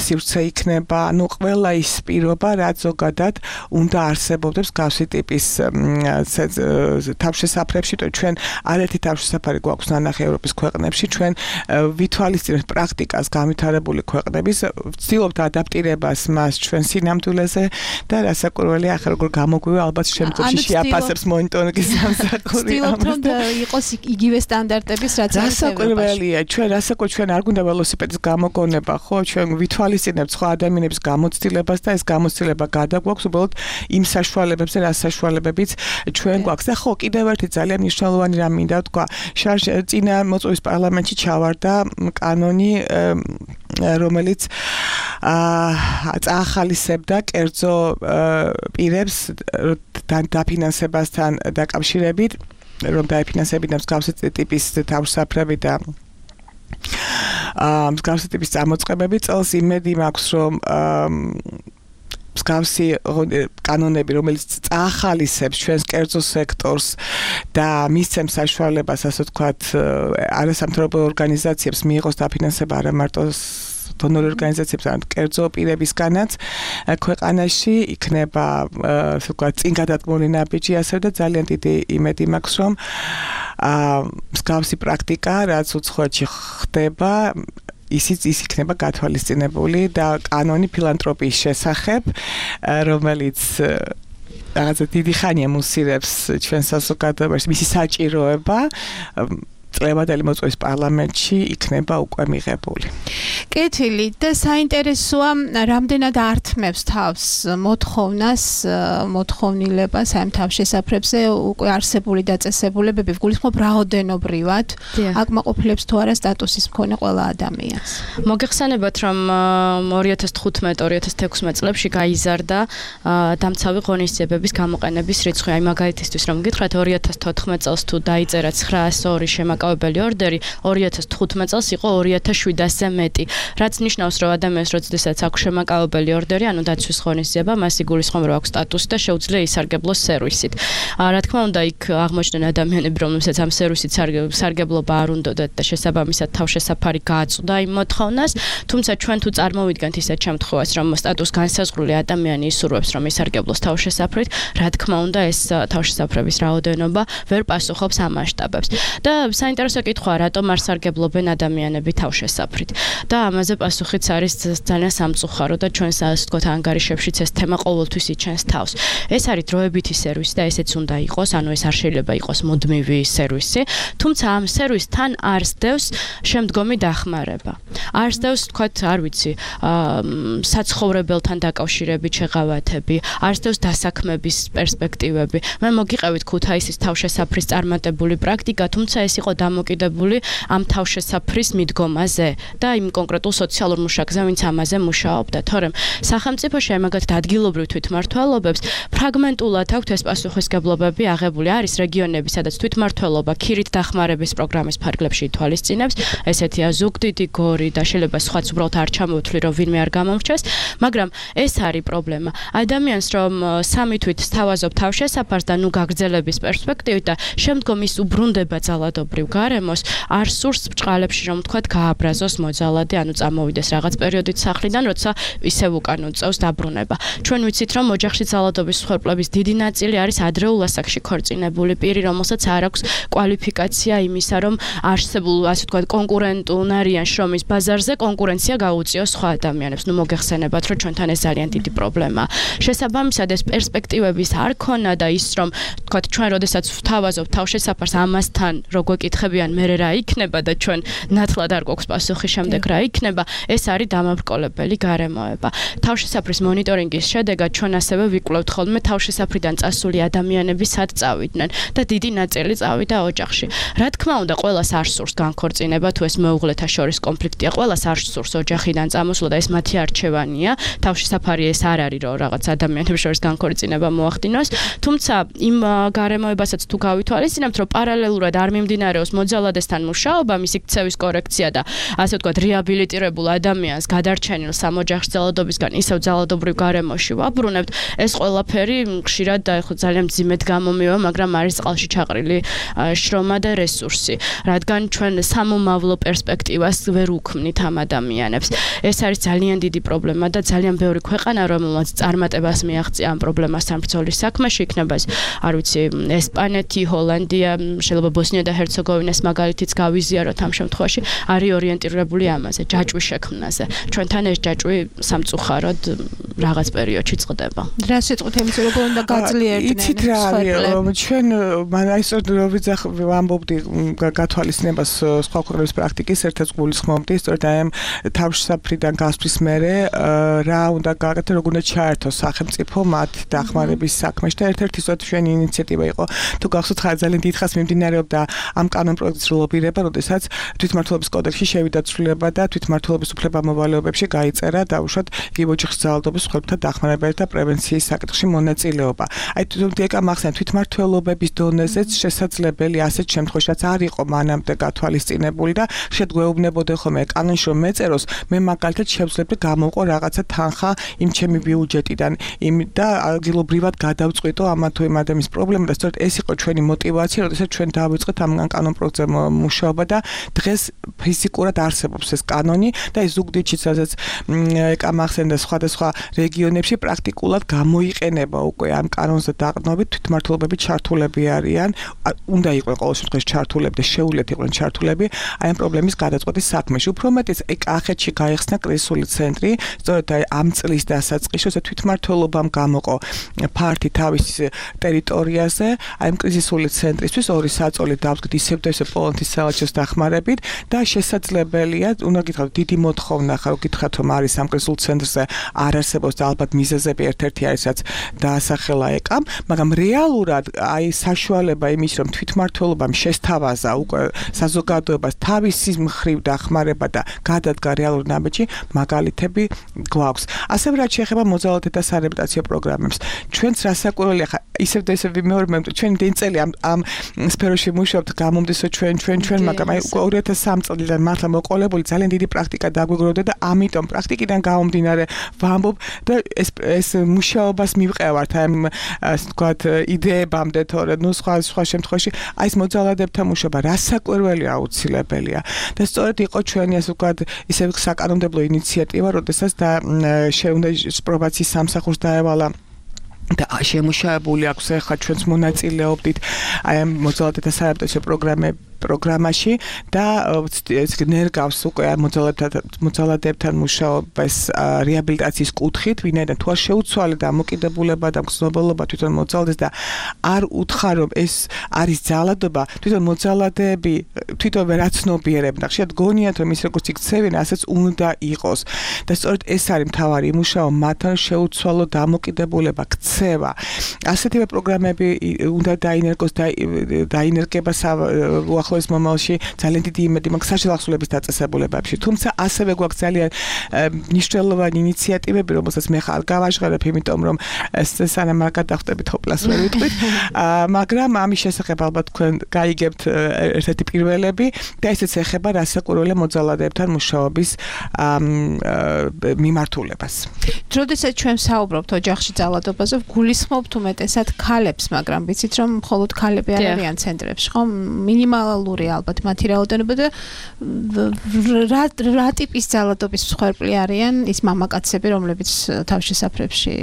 სივრცე იქნება, ანუ ყველა ის პირობა რაც ზოგადად უნდა არსებობდეს გავსი ტიპის თავშესაფრებში, ჩვენ არაერთი თავშესაფარი გვაქვს ნანახი ევროპის ქვეყნებში, ჩვენ ვითვალისწინებთ პრაქტიკას განვითარებული ქვეყნების, ვცდილობთ ადაპტირებას მას ჩვენ სინამდვილეზე და რასაკვირველია ახლა როგორ გამოგვივა ალბათ შემდგომში შეაფასებს მონიტორინგის სამსახური. ვცდილობთ რომ იყოს იგივე სტანდარტების რაც რასაკვირველია, ჩვენ არ გვინდა ველოსიპედის გამოგონება, ხო, ჩვენ ვითვალისწინებთ სხვა ადამიანების გამოცდილებას და ეს გამოცდილება გადაგვაქვს უბრალოდ იმ საშუალებებზე, რა საშუალებებიც ჩვენ გვაქვს. და ხო, კიდევ ერთი ძალიან მნიშვნელოვანი რამ მინდა ვთქვა, წინა მოწვევის პარლამენტში ჩავარდა კანონი, რომელიც წაახალისებდა კერძო პირებს დაფინანსებასთან დაკავშირებით, რომ დაიფინანსებინათ მსგავსი ტიპის თავშესაფრები და მსგავსი ტიპის წარმოწყებები. წელს იმედი მაქვს, რომ მსგავსი კანონები, რომელიც წაახალისებს ჩვენს კერძო სექტორს და მისცემს საშუალებას, ასე ვთქვათ, არასამთავრობო ორგანიზაციებს მიიღოს დაფინანსება არა მარტო დონორი ორგანიზაციებს, არამედ კერძო პირებისგანაც ქვეყანაში იქნება, ასე ვთქვათ, წინ გადადგმული ნაბიჯი, ასე და ძალიან დიდი იმედი მაქვს, რომ მსგავსი პრაქტიკა, რაც უცხოეთში ხდება, ის იქნება გათვალისწინებული და კანონი ფილანთროპიის შესახებ, რომელიც რაღაცა დიდი ხანია მუსირებს ჩვენ საზოგადოებაში, მისი საჭიროება წლებადელი მოწვევის პარლამენტში იქნება უკვე მიღებული. კეთილი და საინტერესოა, რამდენად ართმევს თავს მოთხოვნილებას ამ თავშესაფრებზე უკვე არსებული დაწესებულებები, გულისხმობ რაოდენობრივად აკმაყოფილებს თუ არა სტატუსის მქონე ყველა ადამიანს. მოგეხსენებათ, რომ 2015-2016 წლებში გაიზარდა დამცავი ღონისძიებების გამოყენების რიცხვი. აი მაგალითისთვის რომ გითხრათ 2014 წელს თუ დაიწერა 902 შემაკავებელი ორდერი, 2015 წელს იყო 2700-ზე მეტი. რაც ნიშნავს, რომ ადამიანს როდესაც აქვს შემაკავებელი ორდერი, ანუ დაცვის ღონისძიება, მას იგულისხმება, რომ აქვს სტატუსი და შეუძლია ისარგებლოს სერვისით. რა თქმა უნდა, იქ აღმოჩნდნენ ადამიანები, რომლებსაც ამ სერვისით სარგებლობა არ უნდათ და შესაბამისად თავშესაფარი გააწვდა იმ მოთხოვნას, თუმცა ჩვენ თუ წარმოვიდგენთ ისეთ შემთხვევას, რომ სტატუს განსაზღვრული ადამიანი ისურვებს, რომ ისარგებლოს თავშესაფრით, რა თქმა უნდა, ეს თავშესაფრების რაოდენობა ვერ პასუხობს ამ მასშტაბებს. და საინტერესო კითხვაა, რატომ არ სარგებლობენ ადამიანები თავშესაფრით. და ამაზე პასუხიც არის ძალიან სამწუხარო და ჩვენს ასე ვთქვათ ანგარიშებშიც ეს თემა ყოველთვის იჩენს თავს. ეს არის დროებითი სერვისი და ესეც უნდა იყოს, ანუ ეს არ შეიძლება იყოს მუდმივი სერვისი, თუმცა ამ სერვისთან არ სდევს შემდგომი დახმარება. არ სდევს, ვთქვათ, არ ვიცი, საცხოვრებელთან დაკავშირებით შეღავათები, არ სდევს დასაქმების პერსპექტივები. მე მოგიყევით ქუთაისის თავშესაფრის წარმატებული პრაქტიკა, თუმცა ეს იყო დამოკიდებული ამ თავშესაფრის მიდგომაზე და იმ კონკრეტულ სოციალურ მუშაკზე, ვინც ამაზე მუშაობდა. თორემ სახელმწიფოში მაგათ ადგილობრივ თვითმმართველობებს ფრაგმენტულად აქვთ ეს პასუხისგებლობები აღებული. არის რეგიონები, სადაც თვითმმართველობა ქირით დახმარების პროგრამის ფარგლებში ითვალისწინებს, ესეთია ზუგდიდი, გორი და შეიძლება სხვაც უბრალოდ არ ჩამოვთვლი, რომ ვინმე არ გამომრჩეს, მაგრამ ეს არის პრობლემა. ადამიანს რომ სამი თვით სთავაზობ თავშესაფარს და ნუ გაგრძელების პერსპექტივით და შემდგომ ის უბრუნდება ძალადობრივ გარემოს არ სურს ბჭყალებში რომ თქვა გააბრაზოს მოძალადე, ანუ წამოვიდეს რაღაც პერიოდით სახლიდან, როცა ისევ უკან უწევს დაბრუნება. ჩვენ ვიცით რომ ოჯახში ძალადობის მსხვერპლების დიდი ნაწილი არის ადრეულ ასაკში ქორწინებული პირი, რომელსაც არ აქვს კვალიფიკაცია იმისა, რომ არსებულ, ასე ვთქვათ, კონკურენტუნარიან შრომის ბაზარზე კონკურენცია გაუწიოს სხვა ადამიანებს. ნუ მოგეხსენებათ, რომ ჩვენთან ეს ძალიან დიდი პრობლემაა. შესაბამისად, ეს პერსპექტივების არ ქონა და ის რომ, ვთქვათ, ჩვენ როდესაც ვთავაზობთ თავშესაფარს ამასთან, რო გვეკითხებიან, მე რა იქნება და ჩვენ ნათლად არ გვაქვს პასუხი შემდეგ რა იქნება, ეს არის დამაბრკოლებელი გარემოება. თავშესაფრის მონიტორინგის შედეგად ჩვენ ასევე ვიკვლევთ ხოლმე თავშესაფრიდან წასული ადამიანები სად წავიდნენ და დიდი ნაწილი წავიდა ოჯახში. რა თქმა უნდა, ყველას არ სურს განქორწინება, თუ ეს მეუღლეთა შორის კონფლიქტია, ყველას არ სურს ოჯახიდან წამოსვლა და ეს მათი არჩევანია. თავშესაფარი ეს არ არის, რომ რაღაც ადამიანებს შორის განქორწინება მოახდინოს, თუმცა იმ გარემოებასაც თუ გავითვალისწინებთ, რომ პარალელურად არ მიმდინარეობს მოძალადესთან მუშაობა, მისი ქცევის კორექცია და ასე ვთქვათ, რეაბილიტირებულ ადამიანს გადარჩენილ სამოჯახში ძალადობისგან ისევ ძალადობრივ გარემოში ვაბრუნებთ, ეს ყველაფერი ხშირად და ეხლა ძალიან მძიმედ გამომივა, მაგრამ არის წყალში ჩაყრილი შრომა და რესურსი, რადგან ჩვენ სამომავლო პერსპექტივას ვერ უქმნით ამ ადამიანებს. ეს არის ძალიან დიდი პრობლემა და ძალიან ბევრი ქვეყანა, რომელმაც წარმატებას მიაღწია ამ პრობლემასთან ბრძოლის საქმეში, იქნება ეს, არ ვიცი, ესპანეთი, ჰოლანდია, შეიძლება ბოსნია და ჰერცეგოვინას მაგალითიც გავიზიაროთ ამ შემთხვევაში, არის ორიენტირებული ამაზე, ჯაჭვის შექმნაზე. ჩვენთან ეს ჯაჭვი სამწუხაროდ რაღაც პერიოდში წყდება. რა სიტყვით იმის როგორ უნდა გაძლიერდნენ? იცით რა არის, ჩვენ ისე ვამბობდი გათვალისწინებას სხვა ქვეყნების პრაქტიკის, ერთად გულისხმობდი, სწორედ აი ამ თავშესაფრიდან გასვლის მერე რა უნდა გააკეთოს, როგორ უნდა ჩაერთოს სახელმწიფო მათ დახმარების საქმეში და ერთ-ერთი სწორედ ჩვენი ინიციატივა იყო. თუ გახსოვთ, ძალიან დიდხანს მიმდინარეობდა ამ კანონპროექტის ლობირება, როდესაც თვითმმართველობის კოდექსში შევიდა ცვლილება და თვითმმართველობის უფლებამოვალეობებში გაიწერა დაუშვათ იგივე ოჯახის ძალადობის მსხვერპლთა დახმარებაში და პრევენციის საკითხში მონაწილეობა. აი თვითონ მახსენეთ თვითმმართველობების დონეზეც შესაძლებელი ასეთ შემთხვევაშიც არ იყო მანამდე გათვალისწინებული და შეგვეუბნებოდა ხოლმე კანონში რომ მეწეროს, მე მაგალითად შევძლებდი გამოვყო რაღაცა თანხა იმ ჩემი ბიუჯეტიდან, იმ და ადგილობრივად გადავწყვიტო ამ თუ იმ ადამიანის პრობლემა და სწორედ ეს იყო ჩვენი мотиваცია, როდესაც ჩვენ დავიწყეთ ამ კანონპროექტზე მუშაობა და დღეს ფიზიკურად არსებობს ეს კანონი და ეს ზუგდიდში სადაც მახსენდა სხვადასხვა რეგიონებში პრაქტიკულად გამოიყენება უკვე ამ კანონზე დაყრდნობით თვითმმართველობები ჩართულები არიან, უნდა იყვნენ ყოველ შემთხვევაში ჩართულები და შეუძლიათ იყვნენ ჩართულები აი ამ პრობლემის გადაწყვეტის საქმეში. უფრო მეტიც კახეთში გაიხსნა კრიზისული ცენტრი, სწორედ ამ წლის დასაწყისში თვითმმართველობამ გამოყო ფართი თავის ტერიტორიაზე, აი ამ კრიზისული ცენტრისთვის ორი საწოლი დავდგეთ ისევ და ისევ პოლონეთის საელჩოს დახმარებით და შესაძლებელია, უნდა გითხრათ, დიდი მოთხოვნა ხარ გითხრათ რომ არის ამ კრიზისულ ცენტრზე არ არსებობს და ალბათ მიზეზები ერთ-ერთი არის რაც დაასახელა ეკამ, მაგრამ რეალურად აი საშუალება იმის რომ თვითმმართველობამ შესთავაზა უკვე საზოგადოებას თავისი მხრივ დახმარება და გადადგა რეალურ ნაბიჯი მაგალითები გვაქვს. ასევე რაც შეეხება მოძალადეთა სარეაბილიტაციო პროგრამებს, ჩვენც რასაკვირველია ხა ისევ და ისევ ვიმეორებ, ჩვენ დიდი წელი ამ სფეროში მუშაობთ, გამომდესო ჩვენ, მაგრამ აი 2003 წლიდან მართლა მოყოლებული ძალიან დიდი პრაქტიკა დაგვიგროვდა და ამიტომ პრაქტიკიდან გამომდინარე ვამბობ და ეს მუშაობას მივყევართ აი ასე ვთქვათ იდეებამდე, თორე ნუ სხვა შემთხვევაში აი ეს მოძალადებთან მუშაობა რასაკვირველია აუცილებელია და სწორედ იყო ჩვენი ასე ვთქვათ ისე საკანონმდებლო ინიციატივა, როდესაც და შეუნდა პრობაციის სამსახურს დაევალა და შემუშავებული აქვს ახლა ჩვენც მონაწილეობდით აი ამ მოძალადეთა სარეაბილიტაციო პროგრამაში და ნერგავს უკვე მოძალადებთან მუშაობას რეაბილიტაციის კუთხით, ვინაიდან თუ არ შეუცვალე დამოკიდებულება და მგზნობელობა თვითონ მოძალადეს და არ უთხარ რომ ეს არის ძალადობა, თვითონ მოძალადეები თვითონ ვერ აცნობიერებენ და ხშირად გონიათ რომ ის როგორც იქცევენ, ასეც უნდა იყოს და სწორედ ეს არის მთავარი მუშაობა მათთან შეუცვალო დამოკიდებულება ქცევა. ასეთივე პროგრამები უნდა დაინერგოს და დაინერგება ახლოს მომავალში ძალიან დიდი იმედი მაქვს საშუალო ახსოვების დაწესებულებებში. თუმცა ასევე გვაქვს ძალიან მნიშვნელოვანი ინიციატივები, რომელსაც მე ხარ გავაჟღერებ, იმიტომ რომ სანამ არ გადავხდებით ჰოპლას ვერ ვიტყვით, მაგრამ ამის შესახებ ალბათ თქვენ გაიგებთ ერთ-ერთი პირველები და ესეც ეხება რასაკვირველია მოძალადეებთან მუშაობის მიმართულებას. როდესაც ჩვენ საუბრობთ ოჯახში ძალადობაზე, გულისხმობთ უმეტესად ქალებს, მაგრამ ვიცით რომ მხოლოდ ქალები არ არიან ცენტრებში, ხო? მინიმალურ რეალური ალბათ მათი რაოდენობა და რა ტიპის ძალადობის მსხვერპლი არიან ის მამაკაცები, რომლებიც თავშესაფრებში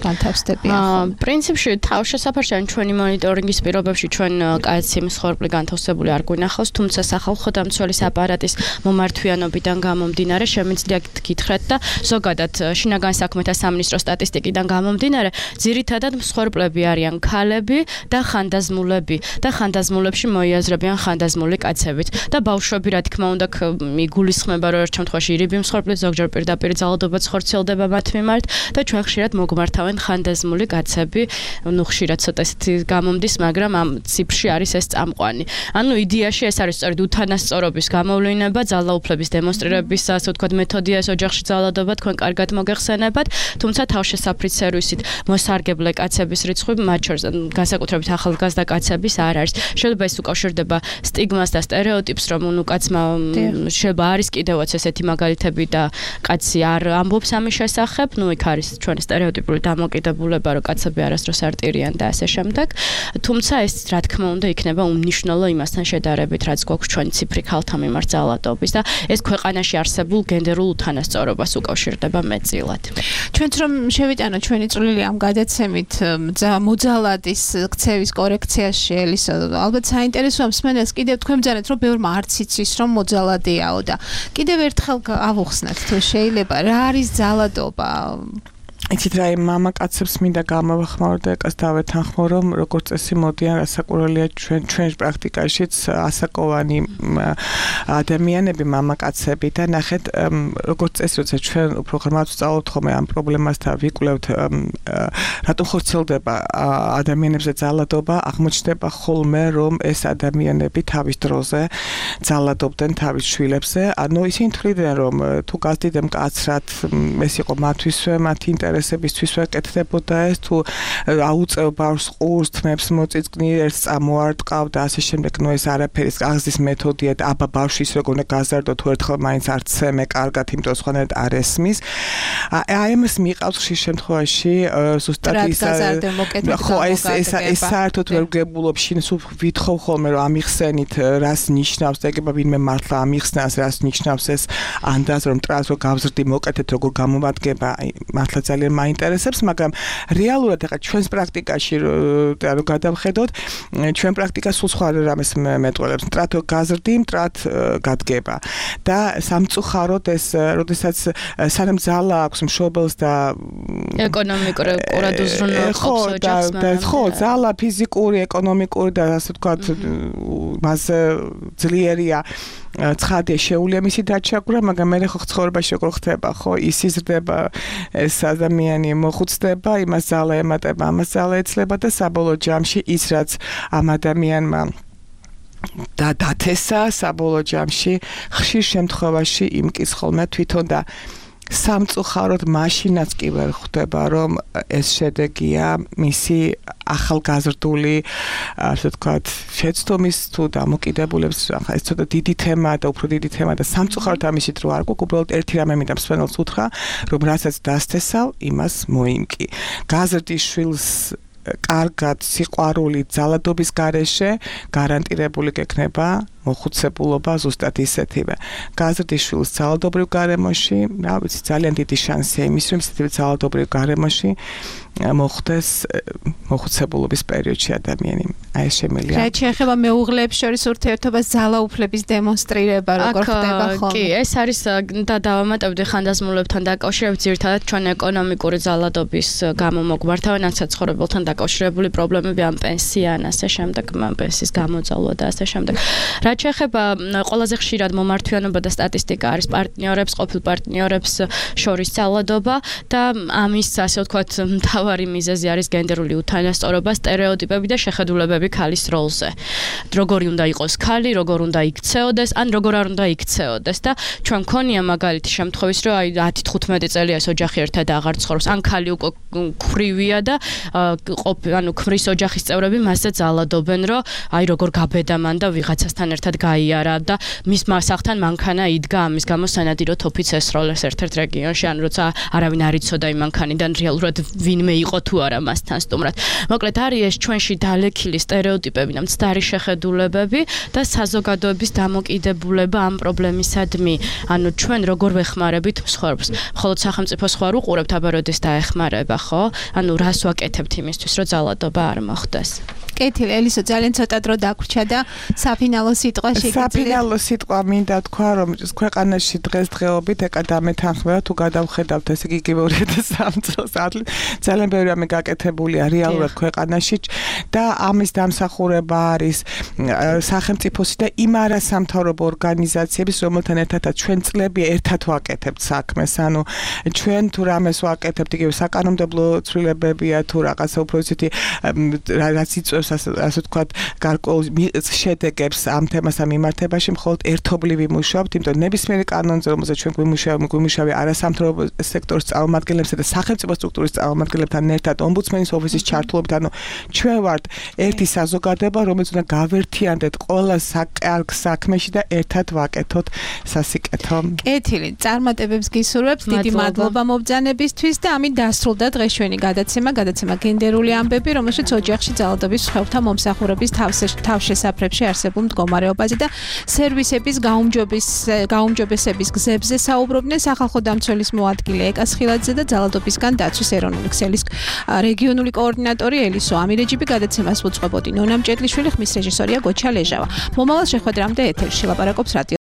განთავსდებიან? პრინციპში თავშესაფარში ან ჩვენი მონიტორინგის პირობებში ჩვენ კაცი მსხვერპლი განთავსებული არ გვინახავს, თუმცა სახალხო დამცველის აპარატის მომართვიანობიდან გამომდინარე შემიძლია გითხრათ და ზოგადად შინაგან საქმეთა სამინისტროს სტატისტიკიდან გამომდინარე, ძირითადად მსხვერპლები არიან ქალები და ხანდაზმულები და ხანდაზმულებში მოიაზრებიან ხანდაზმული კაცებით და ბავშვები რა თქმა უნდა მიგულისხმება რომ ერთ შემთხვევაში ირიბი მსხვერპლი ზოგჯერ პირდაპირ ძალადობაც ხორციელდება მათ მიმართ და ჩვენ ხშირად მოგმართავენ ხანდაზმული კაცები, ხშირად ცოტა ისეთი გამომდის, მაგრამ ამ ციფრში არის ეს წამყვანი. ანუ იდეაში ეს არის სწორედ უთანასწორობის გამოვლინება, ძალაუფლების დემონსტრირების, ასე ვთქვათ, მეთოდია ეს ოჯახში ძალადობა, თქვენ კარგად მოგეხსენებათ, თუმცა თავშესაფრის სერვისით მოსარგებლე კაცების რიცხვი მათ შორის განსაკუთრებით ახალგაზრდა კაცების არ არის. შეიძლება ეს უკავშირდება სტიგმას და სტერეოტიპს, რომ ნუ კაცმა შეიძლება არის კიდევაც ესეთი მაგალითები და კაცი არ ამბობს ამის შესახებ, ნუ იქ არის ჩვენი სტერეოტიპული დამოკიდებულება, რომ კაცები არასდროს არ ტირიან და ასე შემდეგ. თუმცა ეს რა თქმა უნდა იქნება უმნიშვნელო იმასთან შედარებით, რაც გვაქვს ჩვენი ციფრი ქალთა მიმართ ძალადობის და ეს ქვეყანაში არსებულ გენდერულ უთანასწორობას უკავშირდება მეტწილად. ჩვენც რომ შევიტანოთ ჩვენი წვლილი ამ გადაცემით მოძალადის ქცევის კორექციაში, ელისო, ალბათ საინტერესოა მსმენელს კიდევ თქვენ ბრძანეთ, რომ ბევრმა არც იცის, რომ მოძალადიაო და კიდევ ერთხელ ავუხსნათ თუ შეიძლება, რა არის ძალადობა? იცით რა მამაკაცებს მინდა გამოვახმარო და ეკას დავეთანხმო, რომ როგორც წესი მოდიან ასაკურველია ჩვენ პრაქტიკაშიც ასაკოვანი ადამიანები მამაკაცები და ნახეთ როგორც წესი როცა ჩვენ უფრო ღრმად ვსწავლობთ ხოლმე ამ პრობლემას და ვიკვლევთ რატომ ხორციელდება ადამიანებზე ძალადობა, აღმოჩნდება ხოლმე რომ ეს ადამიანები თავის დროზე ძალადობდნენ თავის შვილებზე, ანუ ისინი თვლიდნენ რომ თუ გაზდიდებ მკაცრად ეს იყო მათთვისვე, მათი ინტერესებისთვის ვეკეთდებოდა ეს თუ აუწევ ბავშვს ყურს თმებს მოწიწკნი ერთს წამოარტყავ და ასე შემდეგ ნუ ეს არაფერის აღზის მეთოდია და აბა ბავშვის როგორ უნდა გაზარდო თუ ერთხელ მაინც არ ცემე კარგად იმიტომ სხვანაირად არ ესმის აი ამას მიყავს ხშირ შემთხვევაში ზუსტად ის ხო ეს საერთოდ ვერ გებულობ შინ სულ ვითხოვ ხოლმე რომ ამიხსენით რას ნიშნავს და ეგება ვინმე მართლა ამიხსნას რას ნიშნავს ეს ანდაზ რომ ტრანს რო გავზრდი მოკეთეთ როგორ გამომადგება მართლა ძალიან მაინტერესებს, მაგრამ რეალურად ახლა ჩვენს პრაქტიკაში რო გადავხედოთ, ჩვენ პრაქტიკა სულ სხვა რამეს მეტყველებს. მტრად გაზრდი, მტრად გადგება. და სამწუხაროდ ეს, როდესაც სანამ ძალა აქვს მშობელს და ეკონომიკურად უზრუნველყოფს ოჯახს, ხო, ძალა ფიზიკური, ეკონომიკური და ასე ვთქვათ, მასზე ძლიერია ცხადია შეუძლია მისი დაჩაგვრა, მაგრამ მე ხო ცხოვრებაში როგორ ხდება, ხო, ის იზრდება ეს ადამიანი მოხუცდება, იმას ძალა ემატება, ამას ძალა ეცლება და საბოლოო ჯამში ის რაც ამ ადამიანმა და დათესა საბოლოო ჯამში ხშირ შემთხვევაში იმკის ხოლმე თვითონ და სამწუხაროდ მაშინაც კი ვერ ხვდება რომ ეს შედეგია მისი ახალგაზრდული ასე ვთქვათ შეცდომის თუ დამოკიდებულების ახლა ეს ცოტა დიდი თემაა და უფრო დიდი თემაა და სამწუხაროდ ამისით რო არ გვაქვს უბრალოდ ერთი რამე მინდა მსმენელს უთხრა რომ რასაც დასთესავ იმას მოიმკი გაზრდის შვილს კარგად სიყვარული ძალადობის გარეშე გარანტირებული გექნება მოხუცებულობა ზუსტად ისეთივე. გაზრდის შვილს ძალადობრივ გარემოში, რა ვიცი, ძალიან დიდი შანსია იმის, რომ ისეთივე ძალადობრივ გარემოში მოხდეს მოხუცებულობის პერიოდში ადამიანი. აი ეს შემიძლია. რაც შეეხება მეუღლეებს შორის ურთიერთობას ძალაუფლების დემონსტრირება როგორ ხდება ხოლმე? კი, ეს არის და დავამატებდი ხანდაზმულებთან დაკავშირებით ძირითადად ჩვენ ეკონომიკური ძალადობის გამო მოგვართავენ ან საცხოვრებელთან დაკავშირებული პრობლემები ან პენსია ან ასე შემდეგ, პენსიის გამოძალვა და ასე შემდეგ. რაც შეეხება ყველაზე ხშირად მომართვიანობა და სტატისტიკა არის პარტნიორებს, ყოფილ პარტნიორებს შორის ძალადობა და ამის ასე ვთქვათ მთავარი მიზეზი არის გენდერული უთანასწორობა, სტერეოტიპები და შეხედულებები ქალის როლზე. როგორი უნდა იყოს ქალი, როგორ უნდა იქცეოდეს, ან როგორ არ უნდა იქცეოდეს და ჩვენ მქონია მაგალითი შემთხვევის, რომ აი 10-15 წელია ეს ოჯახი ერთად აღარ ცხოვრობს, ან ქალი უკვე ქვრივია და ანუ ქმრის ოჯახის წევრები მასზე ძალადობენ, რომ აი როგორ გაბედა მან და ვიღაცასთან ერთად გაიარა და მის მასახთან მანქანა იდგა ამის გამო სანადირო თოფიც ესროლეს ერთ-ერთ რეგიონში ან როცა არავინ არ იცოდა იმ მანქანიდან რეალურად ვინმე იყო თუ არა მასთან სტუმრად. მოკლედ არის ეს ჩვენში დალექილი სტერეოტიპები და მცდარი შეხედულებები და საზოგადოების დამოკიდებულება ამ პრობლემისადმი. ანუ ჩვენ როგორ ვეხმარებით მსხვერპლს? მხოლოდ სახელმწიფოს ხო არ უყურებთ, აბა როდეს დაეხმარება, ხო? ანუ რას ვაკეთებთ იმისთვის, რომ ძალადობა არ მოხდეს? კეთილი, ელისო, ძალიან ცოტა დრო დაგვრჩა და საფინალო სიტყვა შეგიძლიათ. საფინალო სიტყვა მინდა თქვა, რომ ქვეყანაში დღესდღეობით ეკადა მეთანხმება თუ გადავხედავთ ესე იგი 2003 წელს ძალიან ბევრი რამე გაკეთებულია რეალურად ქვეყანაში და ამის დამსახურება არის სახელმწიფოსი და იმ არასამთავრობო ორგანიზაციების, რომელთან ერთადაც ჩვენ წლები ერთად ვაკეთებთ საქმეს. ანუ ჩვენ თუ რამეს ვაკეთებთ, იგივე საკანონმდებლო ცვლილებებია თუ რაღაცა უფრო ისეთი რაც იწვევს ასე ვთქვათ, გარკვეულ შედეგებს ამ თემასთან მიმართებაში მხოლოდ ერთობლივი მუშაობთ, იმიტომ ნებისმიერი კანონზე, რომელზეც ჩვენ გვიმუშავე არასამთავრობო სექტორის წარმომადგენლებსა და სახელმწიფო სტრუქტურის წარმომადგენლებთან ერთად, ომბუდსმენის ოფისის ჩართულობით, ანუ ჩვენ ვართ ერთი საზოგადოება, რომელიც უნდა გავერთიანდეთ ყველა საკალკ საქმეში და ერთად ვაკეთოთ სასიკეთო. კეთილი, წარმატებებს გისურვებთ, დიდი მადლობა მობრძანებისთვის და ამით დასრულდა დღეშვენი გადაცემა გენდერული ამბები, რომელშიც ოჯახში ძალადობის მსხვერპლთა მომსახურების თავშესაფრებში არსებულ მდგომარეობაზე და სერვისების გაუმჯობესების გზებზე საუბრობდნენ სახალხო დამცველის მოადგილე ეკა სხილაძე და ძალადობისგან დაცვის ეროვნული ქსელის რეგიონული კოორდინატორი ელისო ამირეჯიბი. გადაცემას უწყებოდი ნონა მჭედლიშვილი, ხმის რეჟისორია გოჩა ლეჟავა. მომავალ შეხვედრამდე ეთერში ლაპარაკობს რადიო